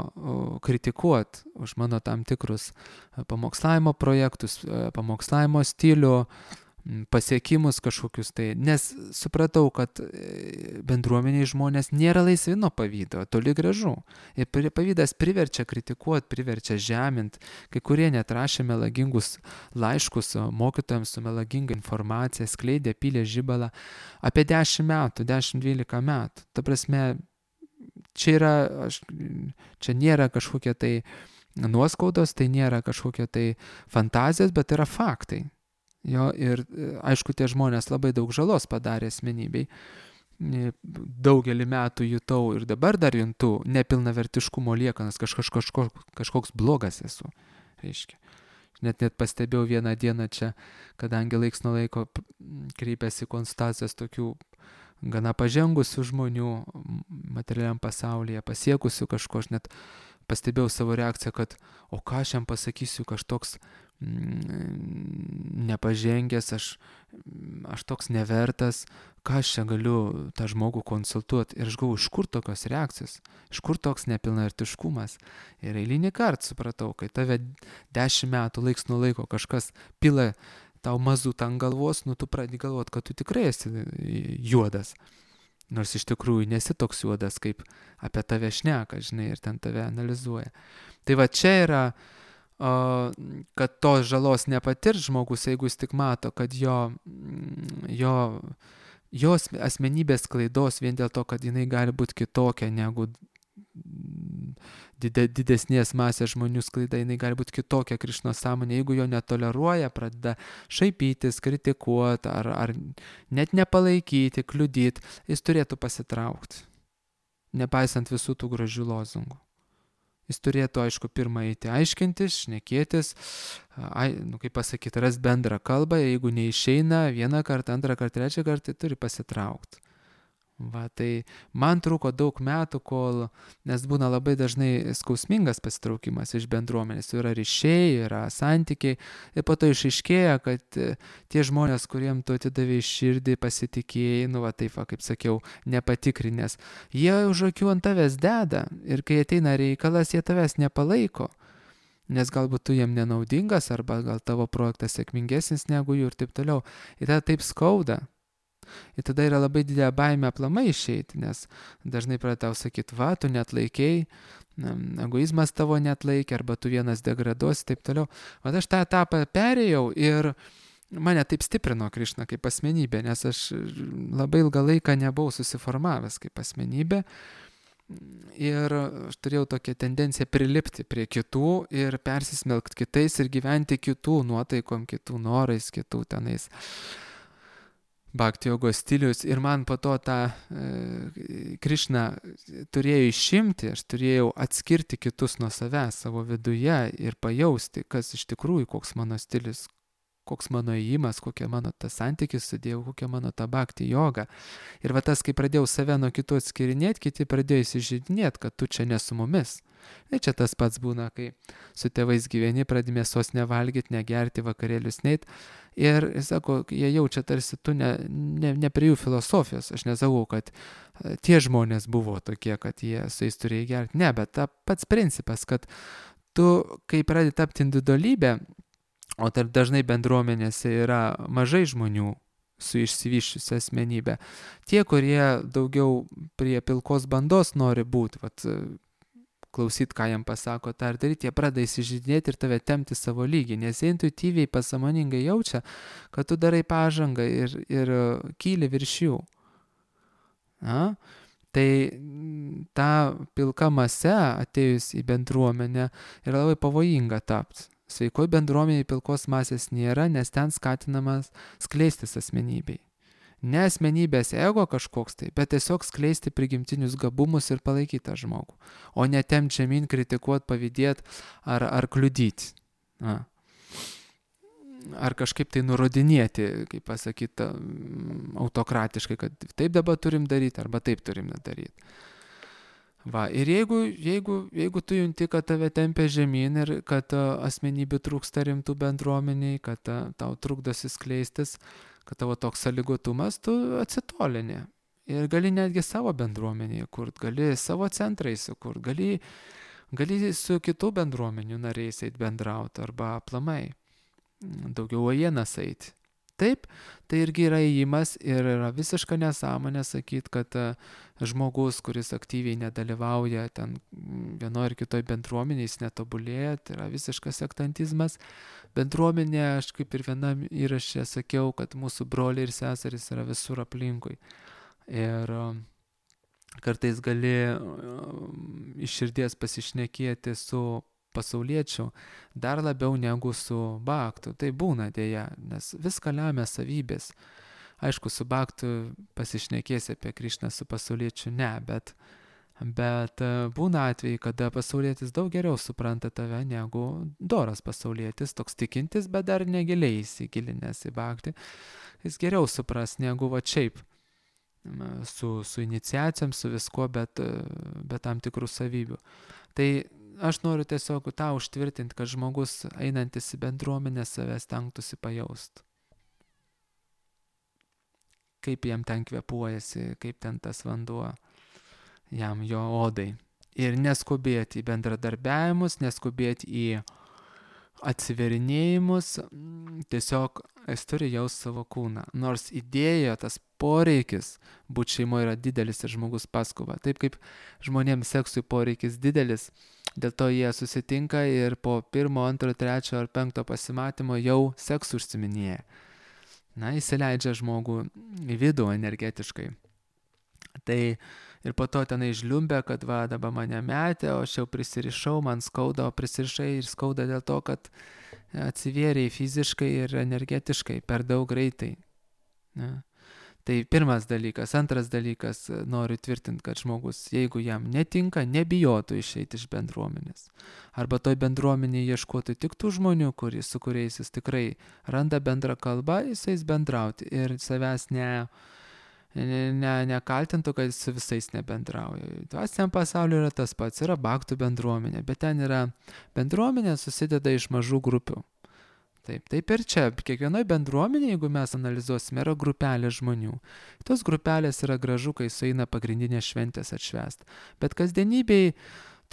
kritikuoti už mano tam tikrus pamokslavimo projektus, pamokslavimo stilių, pasiekimus kažkokius tai, nes supratau, kad bendruomeniai žmonės nėra laisvi nuo pavydo, toli gražu. Ir pavydas priverčia kritikuoti, priverčia žemint, kai kurie net rašė melagingus laiškus mokytojams su melaginga informacija, skleidė, pylė žibalą apie dešimt metų, dešimt dvylika metų. Ta prasme, čia yra, aš, čia nėra kažkokie tai nuoskaudos, tai nėra kažkokie tai fantazijos, bet yra faktai. Jo, ir aišku, tie žmonės labai daug žalos padarė asmenybei. Daugelį metų jutau ir dabar dar juntu nepilnavertiškumo liekanas, kažkoks, kažkoks, kažkoks blogas esu. Reiškia. Net net pastebėjau vieną dieną čia, kadangi laiks nuo laiko kreipėsi konstacijas tokių gana pažengusių žmonių materialiam pasaulyje, pasiekusių kažko, aš net pastebėjau savo reakciją, kad o ką aš jam pasakysiu, kažkoks nepažengęs, aš, aš toks nevertas, ką aš čia galiu tą žmogų konsultuoti. Ir aš galvoju, iš kur tokios reakcijos, iš kur toks nepilnavertiškumas. Ir eilinį kartą supratau, kai tave dešimt metų laiks nuo laiko kažkas pila tau mazutą ant galvos, nu tu pradedi galvoti, kad tu tikrai esi juodas. Nors iš tikrųjų nesi toks juodas, kaip apie tave šneka, žinai, ir ten tave analizuoja. Tai va čia yra, o, kad tos žalos nepatirs žmogus, jeigu jis tik mato, kad jo, jo, jo asmenybės klaidos vien dėl to, kad jinai gali būti kitokia negu didesnės masės žmonių sklaida, jinai gali būti kitokia Krišnos sąmonė, jeigu jo netoleruoja, pradeda šaipytis, kritikuoti ar, ar net nepalaikyti, kliudyti, jis turėtų pasitraukti, nepaisant visų tų gražių lozungų. Jis turėtų, aišku, pirmą eiti aiškintis, šnekėtis, ai, nu, kaip pasakyti, ras bendrą kalbą, jeigu neišeina vieną kartą, antrą kartą, trečią kartą, tai turi pasitraukti. Va, tai man truko daug metų, kol, nes būna labai dažnai skausmingas pasitraukimas iš bendruomenės, yra ryšiai, yra santykiai, ir po to išaiškėja, kad tie žmonės, kuriem tu atidavai širdį, pasitikėjai, nu va taip, va, kaip sakiau, nepatikrinės, jie už akių ant tavęs deda, ir kai ateina reikalas, jie tavęs nepalaiko, nes galbūt tu jiem nenaudingas, arba gal tavo projektas sėkmingesnis negu jų ir taip toliau, ir tada taip skauda. Ir tada yra labai didelė baimė aplamai išeiti, nes dažnai pradeda tau sakyti, va, tu net laikei, egoizmas tavo net laikė, arba tu vienas degraduosi, taip toliau. O aš tą etapą perėjau ir mane taip stiprino Krišna kaip asmenybė, nes aš labai ilgą laiką nebuvau susiformavęs kaip asmenybė. Ir aš turėjau tokią tendenciją prilipti prie kitų ir persismelkti kitais ir gyventi kitų nuotaikom, kitų norais, kitų tenais bhakti jogos stilius, ir man po to tą e, Krišna turėjo išimti, aš turėjau atskirti kitus nuo savęs savo viduje ir pajausti, kas iš tikrųjų, koks mano stilius, koks mano įėjimas, kokia mano tas santykis su Dievu, kokia mano ta bhakti joga. Ir va tas, kai pradėjau save nuo kitų atskirinėti, kiti pradėjo įsižeidinėti, kad tu čia ne su mumis. Ir čia tas pats būna, kai su tėvais gyveni, pradedi mėsos nevalgyti, negerti, vakarėlius neit. Ir, sako, jie jaučia tarsi tu ne, ne, ne prie jų filosofijos. Aš nesakau, kad tie žmonės buvo tokie, kad jie su jais turėjo gerti. Ne, bet ta pats principas, kad tu, kai pradedi tapti individualybę, o tarp dažnai bendruomenėse yra mažai žmonių su išsivyščiusia asmenybė, tie, kurie daugiau prie pilkos bandos nori būti, vat, klausyti, ką jam pasako, tą ir daryti, jie pradeda įsižeidinėti ir tave tempti savo lygį, nes jie intuityviai pasąmoningai jaučia, kad tu darai pažangą ir, ir kyli virš jų. Na? Tai ta pilka mase atėjus į bendruomenę yra labai pavojinga tapti. Sveikoj bendruomeniai pilkos masės nėra, nes ten skatinamas skleistis asmenybei. Ne asmenybės ego kažkoks tai, bet tiesiog skleisti prigimtinius gabumus ir palaikyti tą žmogų, o ne tempt žemyn, kritikuoti, pavydėti ar, ar kliudyti. Na. Ar kažkaip tai nurodinėti, kaip pasakyti, autokratiškai, kad taip dabar turim daryti, arba taip turim daryti. Va, ir jeigu, jeigu, jeigu tu junti, kad tave tempia žemyn ir kad asmenybių trūksta rimtų bendruomeniai, kad tau trukdosi skleistis, kad tavo toks sąlygotumas, tu atsitolini. Ir gali netgi savo bendruomenėje kurt, gali savo centrai sukurt, gali, gali su kitų bendruomenių nariais eit bendrauti arba aplamai daugiau uojienas eiti. Taip, tai irgi yra įėjimas ir yra visiška nesąmonė sakyti, kad žmogus, kuris aktyviai nedalyvauja ten vienoje ar kitoje bendruomenėje, jis netobulėja, tai yra visiškas sektantizmas. Bendruomenė, aš kaip ir vienam įraše sakiau, kad mūsų broliai ir seserys yra visur aplinkui. Ir kartais gali iš širdies pasišnekėti su pasauliečių dar labiau negu su bhaktu. Tai būna dėja, nes viską lemia savybės. Aišku, su bhaktu pasišnekėsi apie Krišną, su pasauliečiu ne, bet, bet būna atvejai, kada pasaulietis daug geriau supranta tave negu doras pasaulietis, toks tikintis, bet dar negiliai įsigilinęs į bhaktį. Jis geriau supras negu va šiaip su, su iniciacijom, su viskuo, bet, bet tam tikrų savybių. Tai aš noriu tiesiog tą užtvirtinti, kad žmogus einantis į bendruomenę savęs stengtųsi pajaust. Kaip jam ten kvepuojasi, kaip ten tas vanduo jam jo odai. Ir neskubėti į bendradarbiavimus, neskubėti į atsiverinėjimus, tiesiog jis turi jaust savo kūną. Nors idėja, tas poreikis būti šeimoje yra didelis ir žmogus paskuba. Taip kaip žmonėms seksui poreikis didelis, dėl to jie susitinka ir po pirmo, antro, trečio ar penkto pasimatymo jau seksu užsiminėja. Na, įsileidžia žmogų į vidų energetiškai. Tai ir po to tenai žliumbė, kad va, dabar mane metė, o aš jau prisirišau, man skauda, o prisirišai ir skauda dėl to, kad atsivėrėjai fiziškai ir energetiškai per daug greitai. Ne? Tai pirmas dalykas. Antras dalykas, noriu tvirtinti, kad žmogus, jeigu jam netinka, nebijotų išeiti iš bendruomenės. Arba toj bendruomenėje ieškotų tik tų žmonių, kuris, su kuriais jis tikrai randa bendrą kalbą, jisais bendrauti ir savęs ne... Ne, nekaltintų, kad su visais nebendrauja. Dvasiniam pasauliu yra tas pats, yra bhaktų bendruomenė, bet ten yra bendruomenė susideda iš mažų grupių. Taip, taip ir čia, kiekvienoje bendruomenėje, jeigu mes analizuosime, yra grupelė žmonių. Tos grupelės yra gražu, kai sueina pagrindinės šventės atšvęsti. Bet kasdienybėj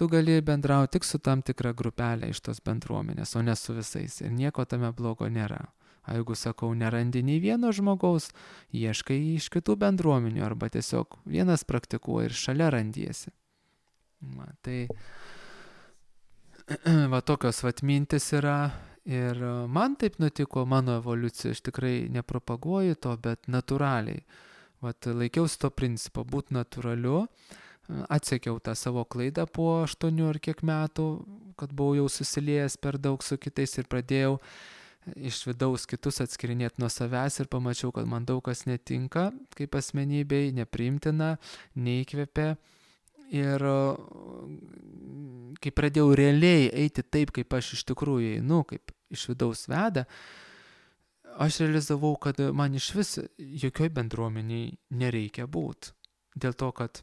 tu gali bendrauti tik su tam tikra grupelė iš tos bendruomenės, o ne su visais. Ir nieko tame blogo nėra. O jeigu, sakau, nerandi nei vieno žmogaus, ieškai iš kitų bendruomenių arba tiesiog vienas praktikuoja ir šalia randiesi. Va, tai va tokios vat mintis yra ir man taip nutiko, mano evoliucija, aš tikrai nepropaguoju to, bet natūraliai. Vat laikiausi to principo, būti natūraliu, atsekiau tą savo klaidą po aštuonių ar kiek metų, kad buvau jau susiliejęs per daug su kitais ir pradėjau iš vidaus kitus atskirinėti nuo savęs ir pamačiau, kad man daug kas netinka kaip asmenybei, nepriimtina, neįkvepia. Ir kai pradėjau realiai eiti taip, kaip aš iš tikrųjų einu, kaip iš vidaus veda, aš realizavau, kad man iš vis jokioj bendruomeniai nereikia būti. Dėl to, kad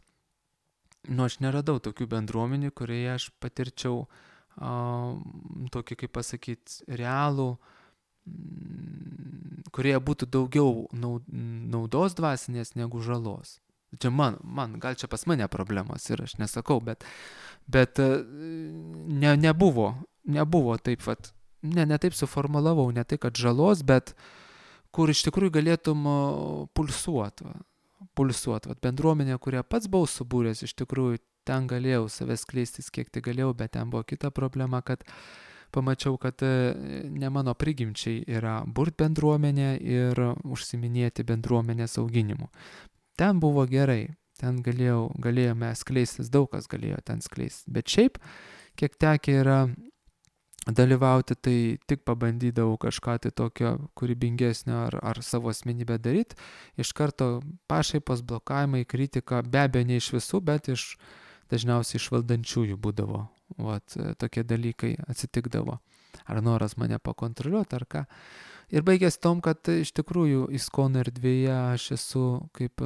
nu, aš neradau tokių bendruomenių, kurioje aš patirčiau a, tokį, kaip pasakyti, realų, kurie būtų daugiau naudos dvasinės negu žalos. Čia man, man, gal čia pas mane problemos ir aš nesakau, bet, bet ne, nebuvo, nebuvo taip, vat, ne, ne taip suformulavau, ne tai, kad žalos, bet kur iš tikrųjų galėtum pulsuoti, pulsuoti, vat, bendruomenė, kurią pats buvau subūręs, iš tikrųjų ten galėjau savęs skleistis, kiek tai galėjau, bet ten buvo kita problema, kad pamačiau, kad ne mano prigimčiai yra burt bendruomenė ir užsiminėti bendruomenės auginimu. Ten buvo gerai, ten galėjau, galėjome skleistis, daug kas galėjo ten skleistis. Bet šiaip, kiek tekę yra dalyvauti, tai tik pabandydavau kažką tai tokio kūrybingesnio ar, ar savo asmenybę daryti. Iš karto pašaipos, blokavimai, kritika, be abejo ne iš visų, bet iš dažniausiai iš valdančiųjų būdavo. Vat, tokie dalykai atsitikdavo. Ar noras mane pakontroliuoti, ar ką. Ir baigės tom, kad iš tikrųjų ISKCON erdvėje aš esu, kaip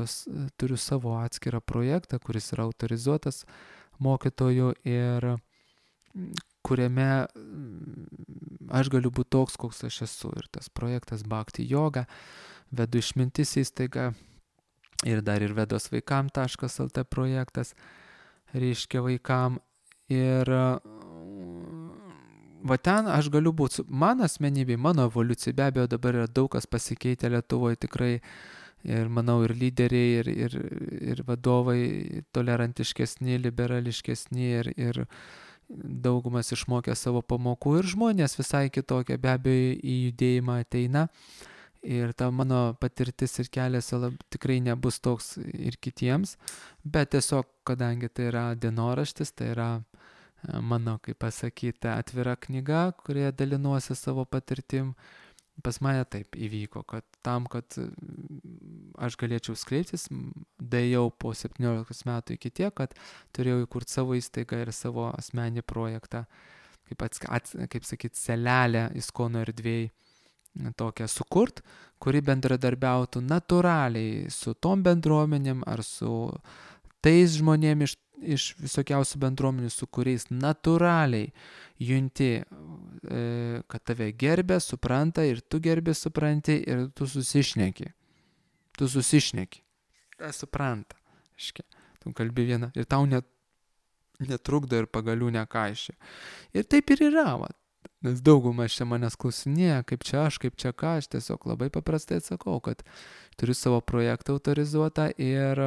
turiu savo atskirą projektą, kuris yra autorizuotas mokytojų ir kuriame aš galiu būti toks, koks aš esu. Ir tas projektas Bhakti Yoga, vedu išmintis įstaigą, ir dar ir vedos vaikam taškas lt projektas, reiškia vaikam. Ir va ten aš galiu būti, mano asmenybė, mano evoliucija, be abejo dabar yra daug kas pasikeitė Lietuvoje tikrai, ir manau ir lyderiai, ir, ir, ir vadovai tolerantiškesni, liberališkesni, ir, ir daugumas išmokė savo pamokų, ir žmonės visai kitokie be abejo į judėjimą ateina. Ir ta mano patirtis ir kelias lab, tikrai nebus toks ir kitiems, bet tiesiog, kadangi tai yra dienoraštis, tai yra mano, kaip pasakyti, atvira knyga, kurioje dalinuosi savo patirtim, pas mane taip įvyko, kad tam, kad aš galėčiau skleistis, daėjau po septyniolikos metų iki tiek, kad turėjau įkurti savo įstaigą ir savo asmenį projektą, kaip, ats, ats, kaip sakyti, selelę Iskono erdvėj, tokią sukurt, kuri bendradarbiautų natūraliai su tom bendruomenėm ar su tais žmonėm iš, iš visokiausių bendruomenių, su kuriais natūraliai junti, e, kad tave gerbė, supranta ir tu gerbi, supranti ir tu susišneki. Tu susišneki. Tai supranta. Iškia. Tu kalbi vieną ir tau net, netrukdo ir pagalių nekaišia. Ir taip ir yra, va. Nes daugumas čia manęs klausinėja, kaip čia aš, kaip čia ką, aš tiesiog labai paprastai atsakau, kad turiu savo projektą autorizuotą ir,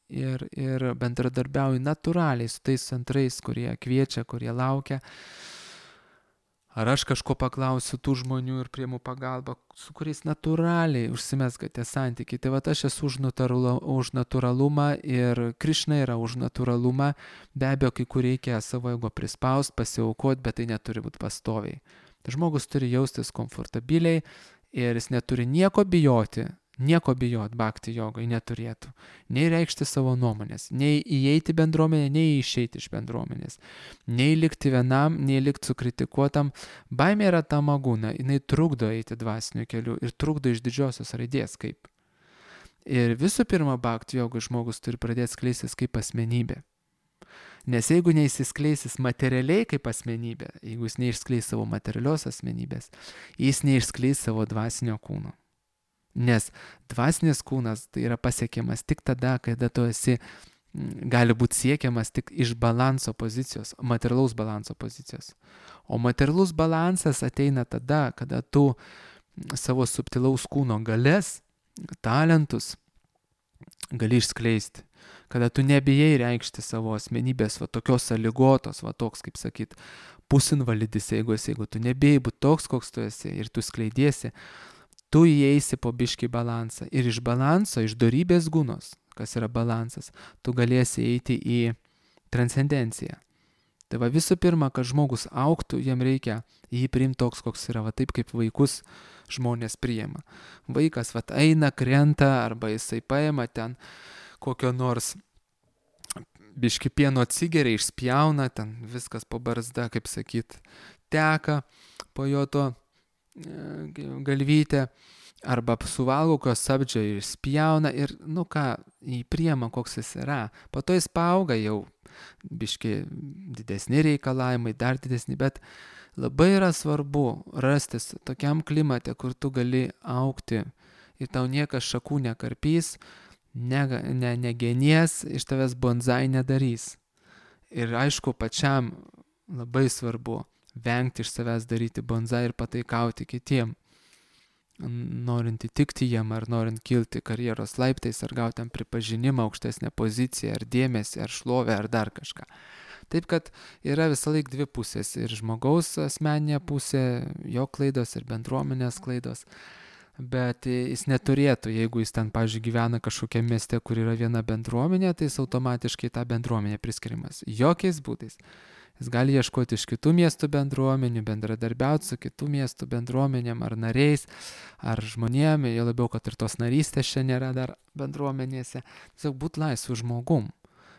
ir, ir bendradarbiauju natūraliai su tais centrais, kurie kviečia, kurie laukia. Ar aš kažko paklausiu tų žmonių ir priimu pagalbą, su kuriais natūraliai užsimezga tie santykiai. Tai va aš esu už, natūralu, už natūralumą ir Krišna yra už natūralumą. Be abejo, kai kur reikia savo ego prispaust, pasiaukoti, bet tai neturi būti pastoviai. Tai žmogus turi jaustis komfortabiliai ir jis neturi nieko bijoti. Nieko bijot bhakti jogai neturėtų. Nei reikšti savo nuomonės, nei įeiti bendruomenę, nei išeiti iš bendruomenės. Nei likti vienam, nei likti sukritikuotam. Baimė yra tamagūna, jinai trukdo eiti dvasiniu keliu ir trukdo iš didžiosios raidės kaip. Ir visų pirma, bhakti jogai žmogus turi pradėti skleistis kaip asmenybė. Nes jeigu neįsiskleisis materialiai kaip asmenybė, jeigu jis neišskleis savo materialios asmenybės, jis neišskleis savo dvasinio kūno. Nes dvasinis kūnas tai yra pasiekiamas tik tada, kada tu esi, gali būti siekiamas tik iš balanso pozicijos, materialaus balanso pozicijos. O materialus balansas ateina tada, kada tu savo subtilaus kūno galias, talentus gali išskleisti. Kada tu nebijai reikšti savo asmenybės, va tokios sąlygotos, va toks, kaip sakyt, pusinvalidis, jeigu esi, jeigu tu nebijai būti toks, koks tu esi ir tu skleidiesi, tu įeisi po biškį balansą ir iš balanso, iš dorybės gūnos, kas yra balansas, tu galėsi eiti į transcendenciją. Tai va visų pirma, kad žmogus augtų, jam reikia jį priimti toks, koks yra, va taip kaip vaikus žmonės priima. Vaikas va eina, krenta arba jisai paima ten kokio nors biškį pieno atsigeria, išspjauna, ten viskas po barzda, kaip sakyt, teka po jo to galvytę, arba suvalgo kokio sabdžio ir spjauna ir, nu ką, jį priema, koks jis yra. Po to jis paauga jau biški didesni reikalavimai, dar didesni, bet labai yra svarbu rastis tokiam klimate, kur tu gali augti ir tau niekas šakų nekarpys, ne, ne, negenies, iš tavęs bonsai nedarys. Ir aišku, pačiam labai svarbu vengti iš savęs daryti bonsai ir pataikauti kitiem, norint įtikti jiem, ar norint kilti karjeros laiptais, ar gauti tam pripažinimą, aukštesnę poziciją, ar dėmesį, ar šlovę, ar dar kažką. Taip, kad yra visą laik dvi pusės, ir žmogaus asmeninė pusė, jo klaidos ir bendruomenės klaidos, bet jis neturėtų, jeigu jis ten, pavyzdžiui, gyvena kažkokiam mieste, kur yra viena bendruomenė, tai jis automatiškai tą bendruomenę priskirimas. Jokiais būdais. Jis gali ieškoti iš kitų miestų bendruomenių, bendradarbiauti su kitų miestų bendruomenėm ar nariais, ar žmonėm, jo labiau, kad ir tos narystės čia nėra dar bendruomenėse. Tiesiog būti laisvu žmogum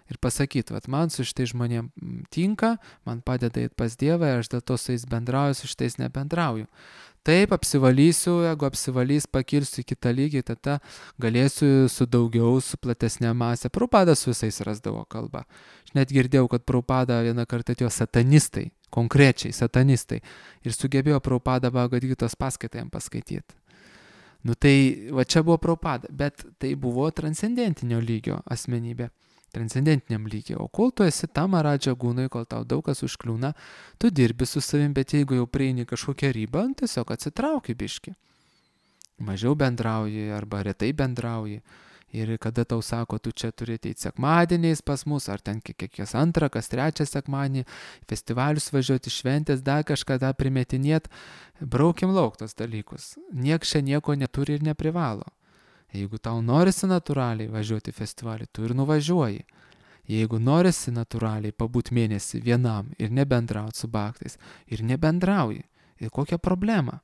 ir pasakyti, vat man su šitais žmonėm tinka, man padeda eiti pas Dievą, aš dėl to su jais bendrauju, su šitais nebendrauju. Taip, apsivalysiu, jeigu apsivalys, pakilsiu į kitą lygį, tada galėsiu su daugiau, su platesnė masė. Prabhupada su visais rasdavo kalbą. Aš net girdėjau, kad Prabhupada vieną kartą atėjo satanistai, konkrečiai satanistai, ir sugebėjo Prabhupada Bhagavad Gitos paskaitą jam paskaityti. Nu tai va čia buvo Prabhupada, bet tai buvo transcendentinio lygio asmenybė. Transcendentiniam lygiai. O kol tu esi tam Maradža gūnai, kol tau daug kas užkliūna, tu dirbi su savim, bet jeigu jau prieini kažkokią ribą, tiesiog atsitrauki biški. Mažiau bendrauji arba retai bendrauji. Ir kada tau sako, tu čia turi ateiti sekmadieniais pas mus, ar ten kiekvienas antrą, kas trečią sekmadienį, festivalius važiuoti, šventės, dar kažką tą primetinėt, braukim lauk tos dalykus. Niekas čia nieko neturi ir neprivalo. Jeigu tau norisi natūraliai važiuoti į festivalį, tu ir nuvažiuoji. Jeigu norisi natūraliai pabūt mėnesį vienam ir nebendrauti su baktais, ir nebendrauji. Ir kokia problema?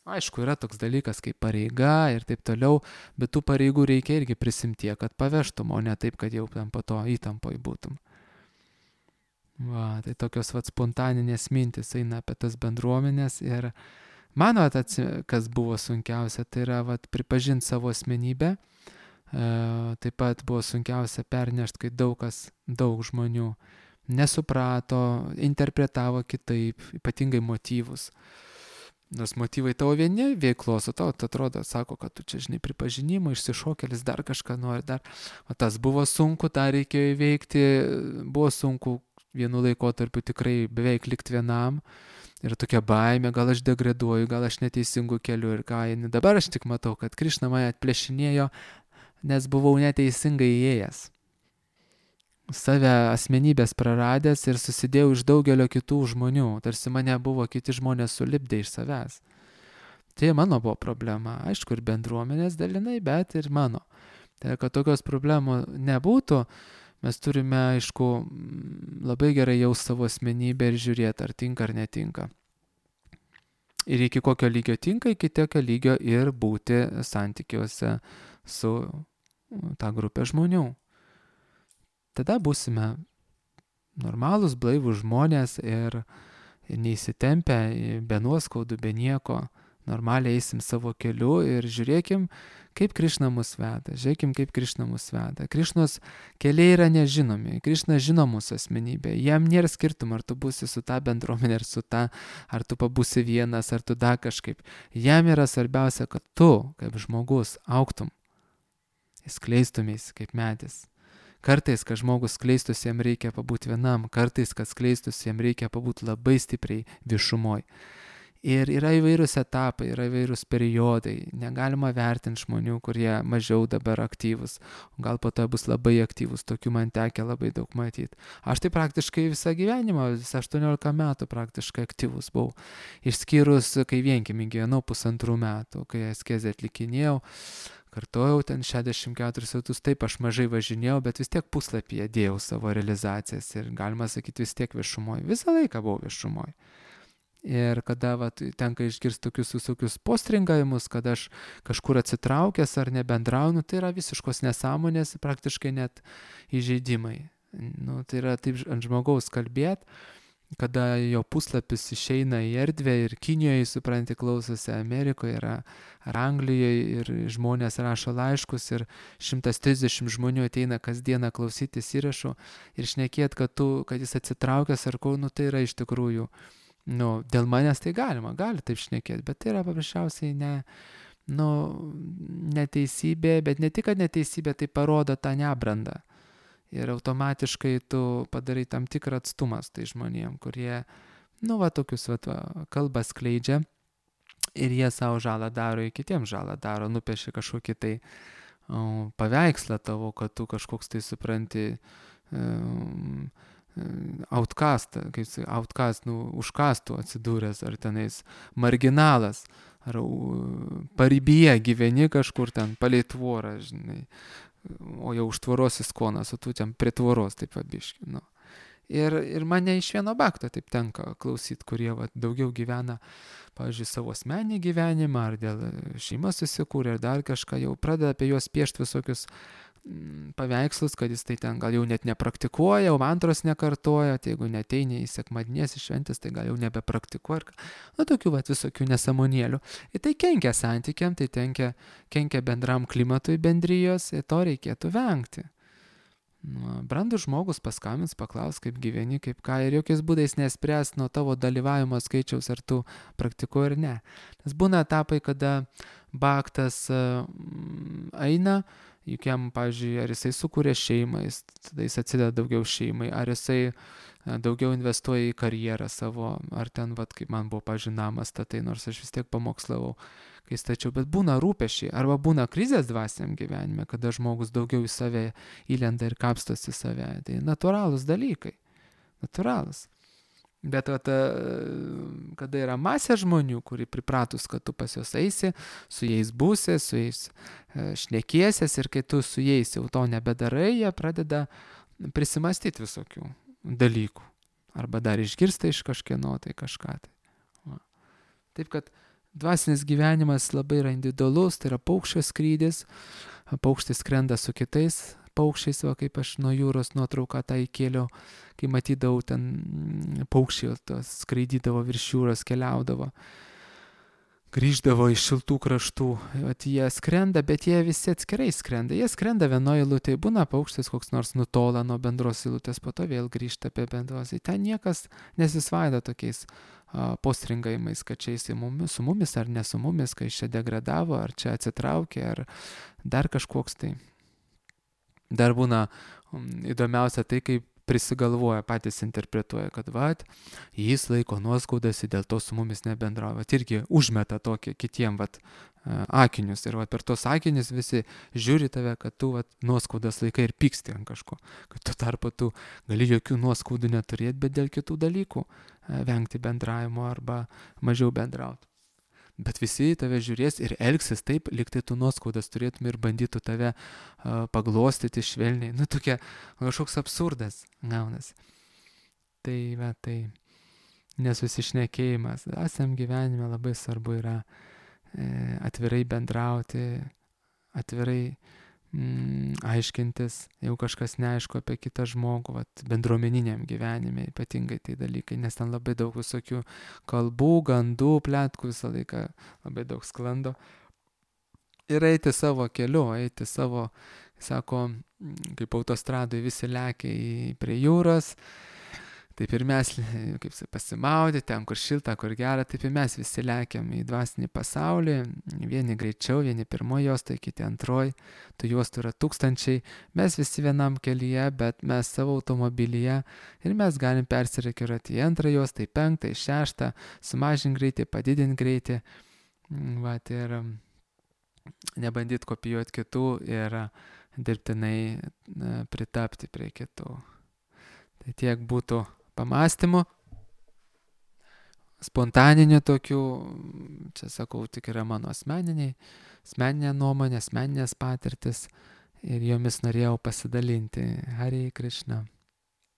Aišku, yra toks dalykas kaip pareiga ir taip toliau, bet tų pareigų reikia irgi prisimti, kad pavežtum, o ne taip, kad jau ten po to įtampoj būtum. Va, tai tokios vat spontaninės mintis eina apie tas bendruomenės ir mano, kas buvo sunkiausia, tai yra vat, pripažinti savo asmenybę. E, taip pat buvo sunkiausia pernešti, kai daug kas, daug žmonių nesuprato, interpretavo kitaip, ypatingai motyvus. Nors motyvai tavo vieni veiklos, o tau atrodo, sako, kad tu čia, žinai, pripažinimo, išsišokėlis, dar kažką nori, dar. O tas buvo sunku, tą reikėjo įveikti, buvo sunku vienu laikotarpiu tikrai beveik likti vienam. Ir tokia baimė, gal aš degraduoju, gal aš neteisingų kelių ir ką. Dabar aš tik matau, kad Krišna mane atplėšinėjo, nes buvau neteisingai įėjęs. Save asmenybės praradęs ir susidėjau iš daugelio kitų žmonių, tarsi mane buvo kiti žmonės sulipdę iš savęs. Tai mano buvo problema, aišku, ir bendruomenės dalinai, bet ir mano. Tai kad tokios problemų nebūtų, mes turime, aišku, labai gerai jausti savo asmenybę ir žiūrėti, ar tinka ar netinka. Ir iki kokio lygio tinka, iki tokio lygio ir būti santykiuose su ta grupė žmonių. Tada būsime normalūs, blaivūs žmonės ir neįsitempę, be nuoskaudų, be nieko. Normaliai eisim savo keliu ir žiūrėkim, kaip Krišna mus veda. Žiūrėkim, kaip Krišna mus veda. Krišnos keliai yra nežinomi. Krišna žino mūsų asmenybę. Jam nėra skirtumo, ar tu būsi su ta bendruomenė, ar su ta, ar tu pabūsi vienas, ar tu dar kažkaip. Jam yra svarbiausia, kad tu, kaip žmogus, augtum. Skleistumės kaip medis. Kartais, kad žmogus skleistųsi, jam reikia pabūti vienam. Kartais, kad skleistųsi, jam reikia pabūti labai stipriai viešumoj. Ir yra įvairūs etapai, yra įvairūs periodai. Negalima vertinti žmonių, kurie mažiau dabar aktyvus. Gal po to bus labai aktyvus, tokių man tekia labai daug matyti. Aš tai praktiškai visą gyvenimą, visą aštuoniolika metų praktiškai aktyvus buvau. Išskyrus, kai vienkiemy gyvenau pusantrų metų, kai askezę atlikinėjau. Kartojau ten šešiasdešimt keturis metus, taip aš mažai važinėjau, bet vis tiek puslapyje dėjau savo realizacijas ir galima sakyti vis tiek viešumoj. Visą laiką buvau viešumoj. Ir kada va, tenka išgirsti tokius visokius postringavimus, kad aš kažkur atsitraukęs ar nebendraunu, tai yra visiškos nesąmonės, praktiškai net įžeidimai. Nu, tai yra taip ant žmogaus kalbėti, kada jo puslapis išeina į erdvę ir Kinijoje, supranti, klausosi, Amerikoje yra, ar Anglijoje ir žmonės rašo laiškus ir šimtas trisdešimt žmonių ateina kasdieną klausytis įrašų ir šnekėt, kad, tu, kad jis atsitraukęs ar ko, nu tai yra iš tikrųjų. Nu, dėl manęs tai galima, gali taip šnekėti, bet tai yra paprasčiausiai ne, nu, neteisybė, bet ne tik, kad neteisybė, tai parodo tą nebrandą. Ir automatiškai tu padarai tam tikrą atstumą tai žmonėm, kurie, nu, va, tokius, va, kalbą skleidžia ir jie savo žalą daro, ir kitiems žalą daro, nupiešia kažkokį tai o, paveikslą tavo, kad tu kažkoks tai supranti, um, outcast, kaip sakai, outcast, nu, užkastų atsidūręs, ar tenais marginalas, ar paribyje gyveni kažkur ten, palei tvorą, žinai, o jau už tvoros įskonas, o tu ten prie tvoros, taip pabiški, nu. Ir, ir mane iš vieno bakto taip tenka klausyti, kurie va, daugiau gyvena, pavyzdžiui, savo asmenį gyvenimą, ar dėl šeimos susikūrė, ar dar kažką, jau pradeda apie juos piešti visokius paveikslus, kad jis tai ten gal jau net nepraktikuoja, o mantros nekartoja, tai jeigu neteini į sekmadienės šventės, tai gal jau nebepraktikuoja. Nu, tokių vat, visokių nesąmonėlių. Ir tai kenkia santykiam, tai kenkia, kenkia bendram klimatui bendrijos, ir to reikėtų vengti. Nu, brandus žmogus paskambins, paklaus, kaip gyveni, kaip ką, ir jokiais būdais nespręs nuo tavo dalyvavimo skaičiaus, ar tu praktikuoji ar ne. Nes būna etapai, kada baktas eina, juk jam, pavyzdžiui, ar jisai sukūrė šeimą, jis, tada jis atsideda daugiau šeimai, ar jisai daugiau investuoja į karjerą savo, ar ten, vat, kaip man buvo, pavyzdžiui, namas statai, nors aš vis tiek pamokslavau, kai stačiau, bet būna rūpešiai, arba būna krizės dvasiniam gyvenime, kada žmogus daugiau į save įlenda ir kapstosi save, tai natūralūs dalykai, natūralūs. Bet vat, kada yra masė žmonių, kuri pripratus, kad tu pas juos eisi, su jais būsi, su jais šnekiesies ir kai tu su jais jau to nebedarai, jie pradeda prisimastyti visokių dalykų. Arba dar išgirsta iš kažkieno tai kažką. Tai. Va. Taip, kad dvasinis gyvenimas labai yra individualus, tai yra paukščio skrydis, paukštis skrenda su kitais paukščiais, va, kaip aš nuo jūros nuotrauką tą įkėliau, kai matydavau ten paukščiai skraidydavo virš jūros, keliaudavo, grįždavo iš šiltų kraštų, vat jie skrenda, bet jie visi atskirai skrenda, jie skrenda vienoje eilutėje, būna paukštis koks nors nutola nuo bendros eilutės, po to vėl grįžta apie bendros, tai ten niekas nesisvaido tokiais a, postringavimais, kad čia jis mumis, su mumis ar ne su mumis, kai čia degradavo, ar čia atsitraukė, ar dar kažkoks tai. Dar būna um, įdomiausia tai, kaip prisigalvoja, patys interpretuoja, kad vat, jis laiko nuoskaudas ir dėl to su mumis nebendrauja. Vat irgi užmeta tokį kitiem vat, akinius ir vat, per tos akinius visi žiūri tave, kad tu vat, nuoskaudas laikai ir pyksti ant kažko. Kad tu tarpu tu gali jokių nuoskaudų neturėti, bet dėl kitų dalykų vengti bendravimo arba mažiau bendrauti. Bet visi tave žiūrės ir elgsis taip, lyg tai tu nuoskaudas turėtum ir bandytų tave uh, paglostyti švelniai. Nu, tokia kažkoks absurdas gaunas. Tai, va, tai nesusišnekėjimas. Esam gyvenime labai svarbu yra e, atvirai bendrauti, atvirai mm, aiškintis, jeigu kažkas neaišku apie kitą žmogų, vat, bendruomeniniam gyvenime ypatingai tai dalykai, nes ten labai daug visokių kalbų, gandų, pletkų visą laiką labai daug sklando. Ir eiti savo keliu, eiti savo, sako, kaip autostradai visi lekia į, prie jūros, taip ir mes, kaip pasimaudė, ten kur šilta, kur gera, taip ir mes visi lekiam į dvasinį pasaulį, vieni greičiau, vieni pirmoji juostoje, kiti antroji, tų juostų yra tūkstančiai, mes visi vienam kelyje, bet mes savo automobilyje ir mes galim persirikiuoti į antrą juostą, į penktą, į šeštą, sumažinti greitį, padidinti greitį, va, ir nebandyti kopijuoti kitų ir dirbtinai pritapti prie kitų. Tai tiek būtų pamąstymų, spontaninių tokių, čia sakau, tik yra mano asmeniniai, asmeninė nuomonė, asmeninės patirtis ir jomis norėjau pasidalinti. Hare Krishna.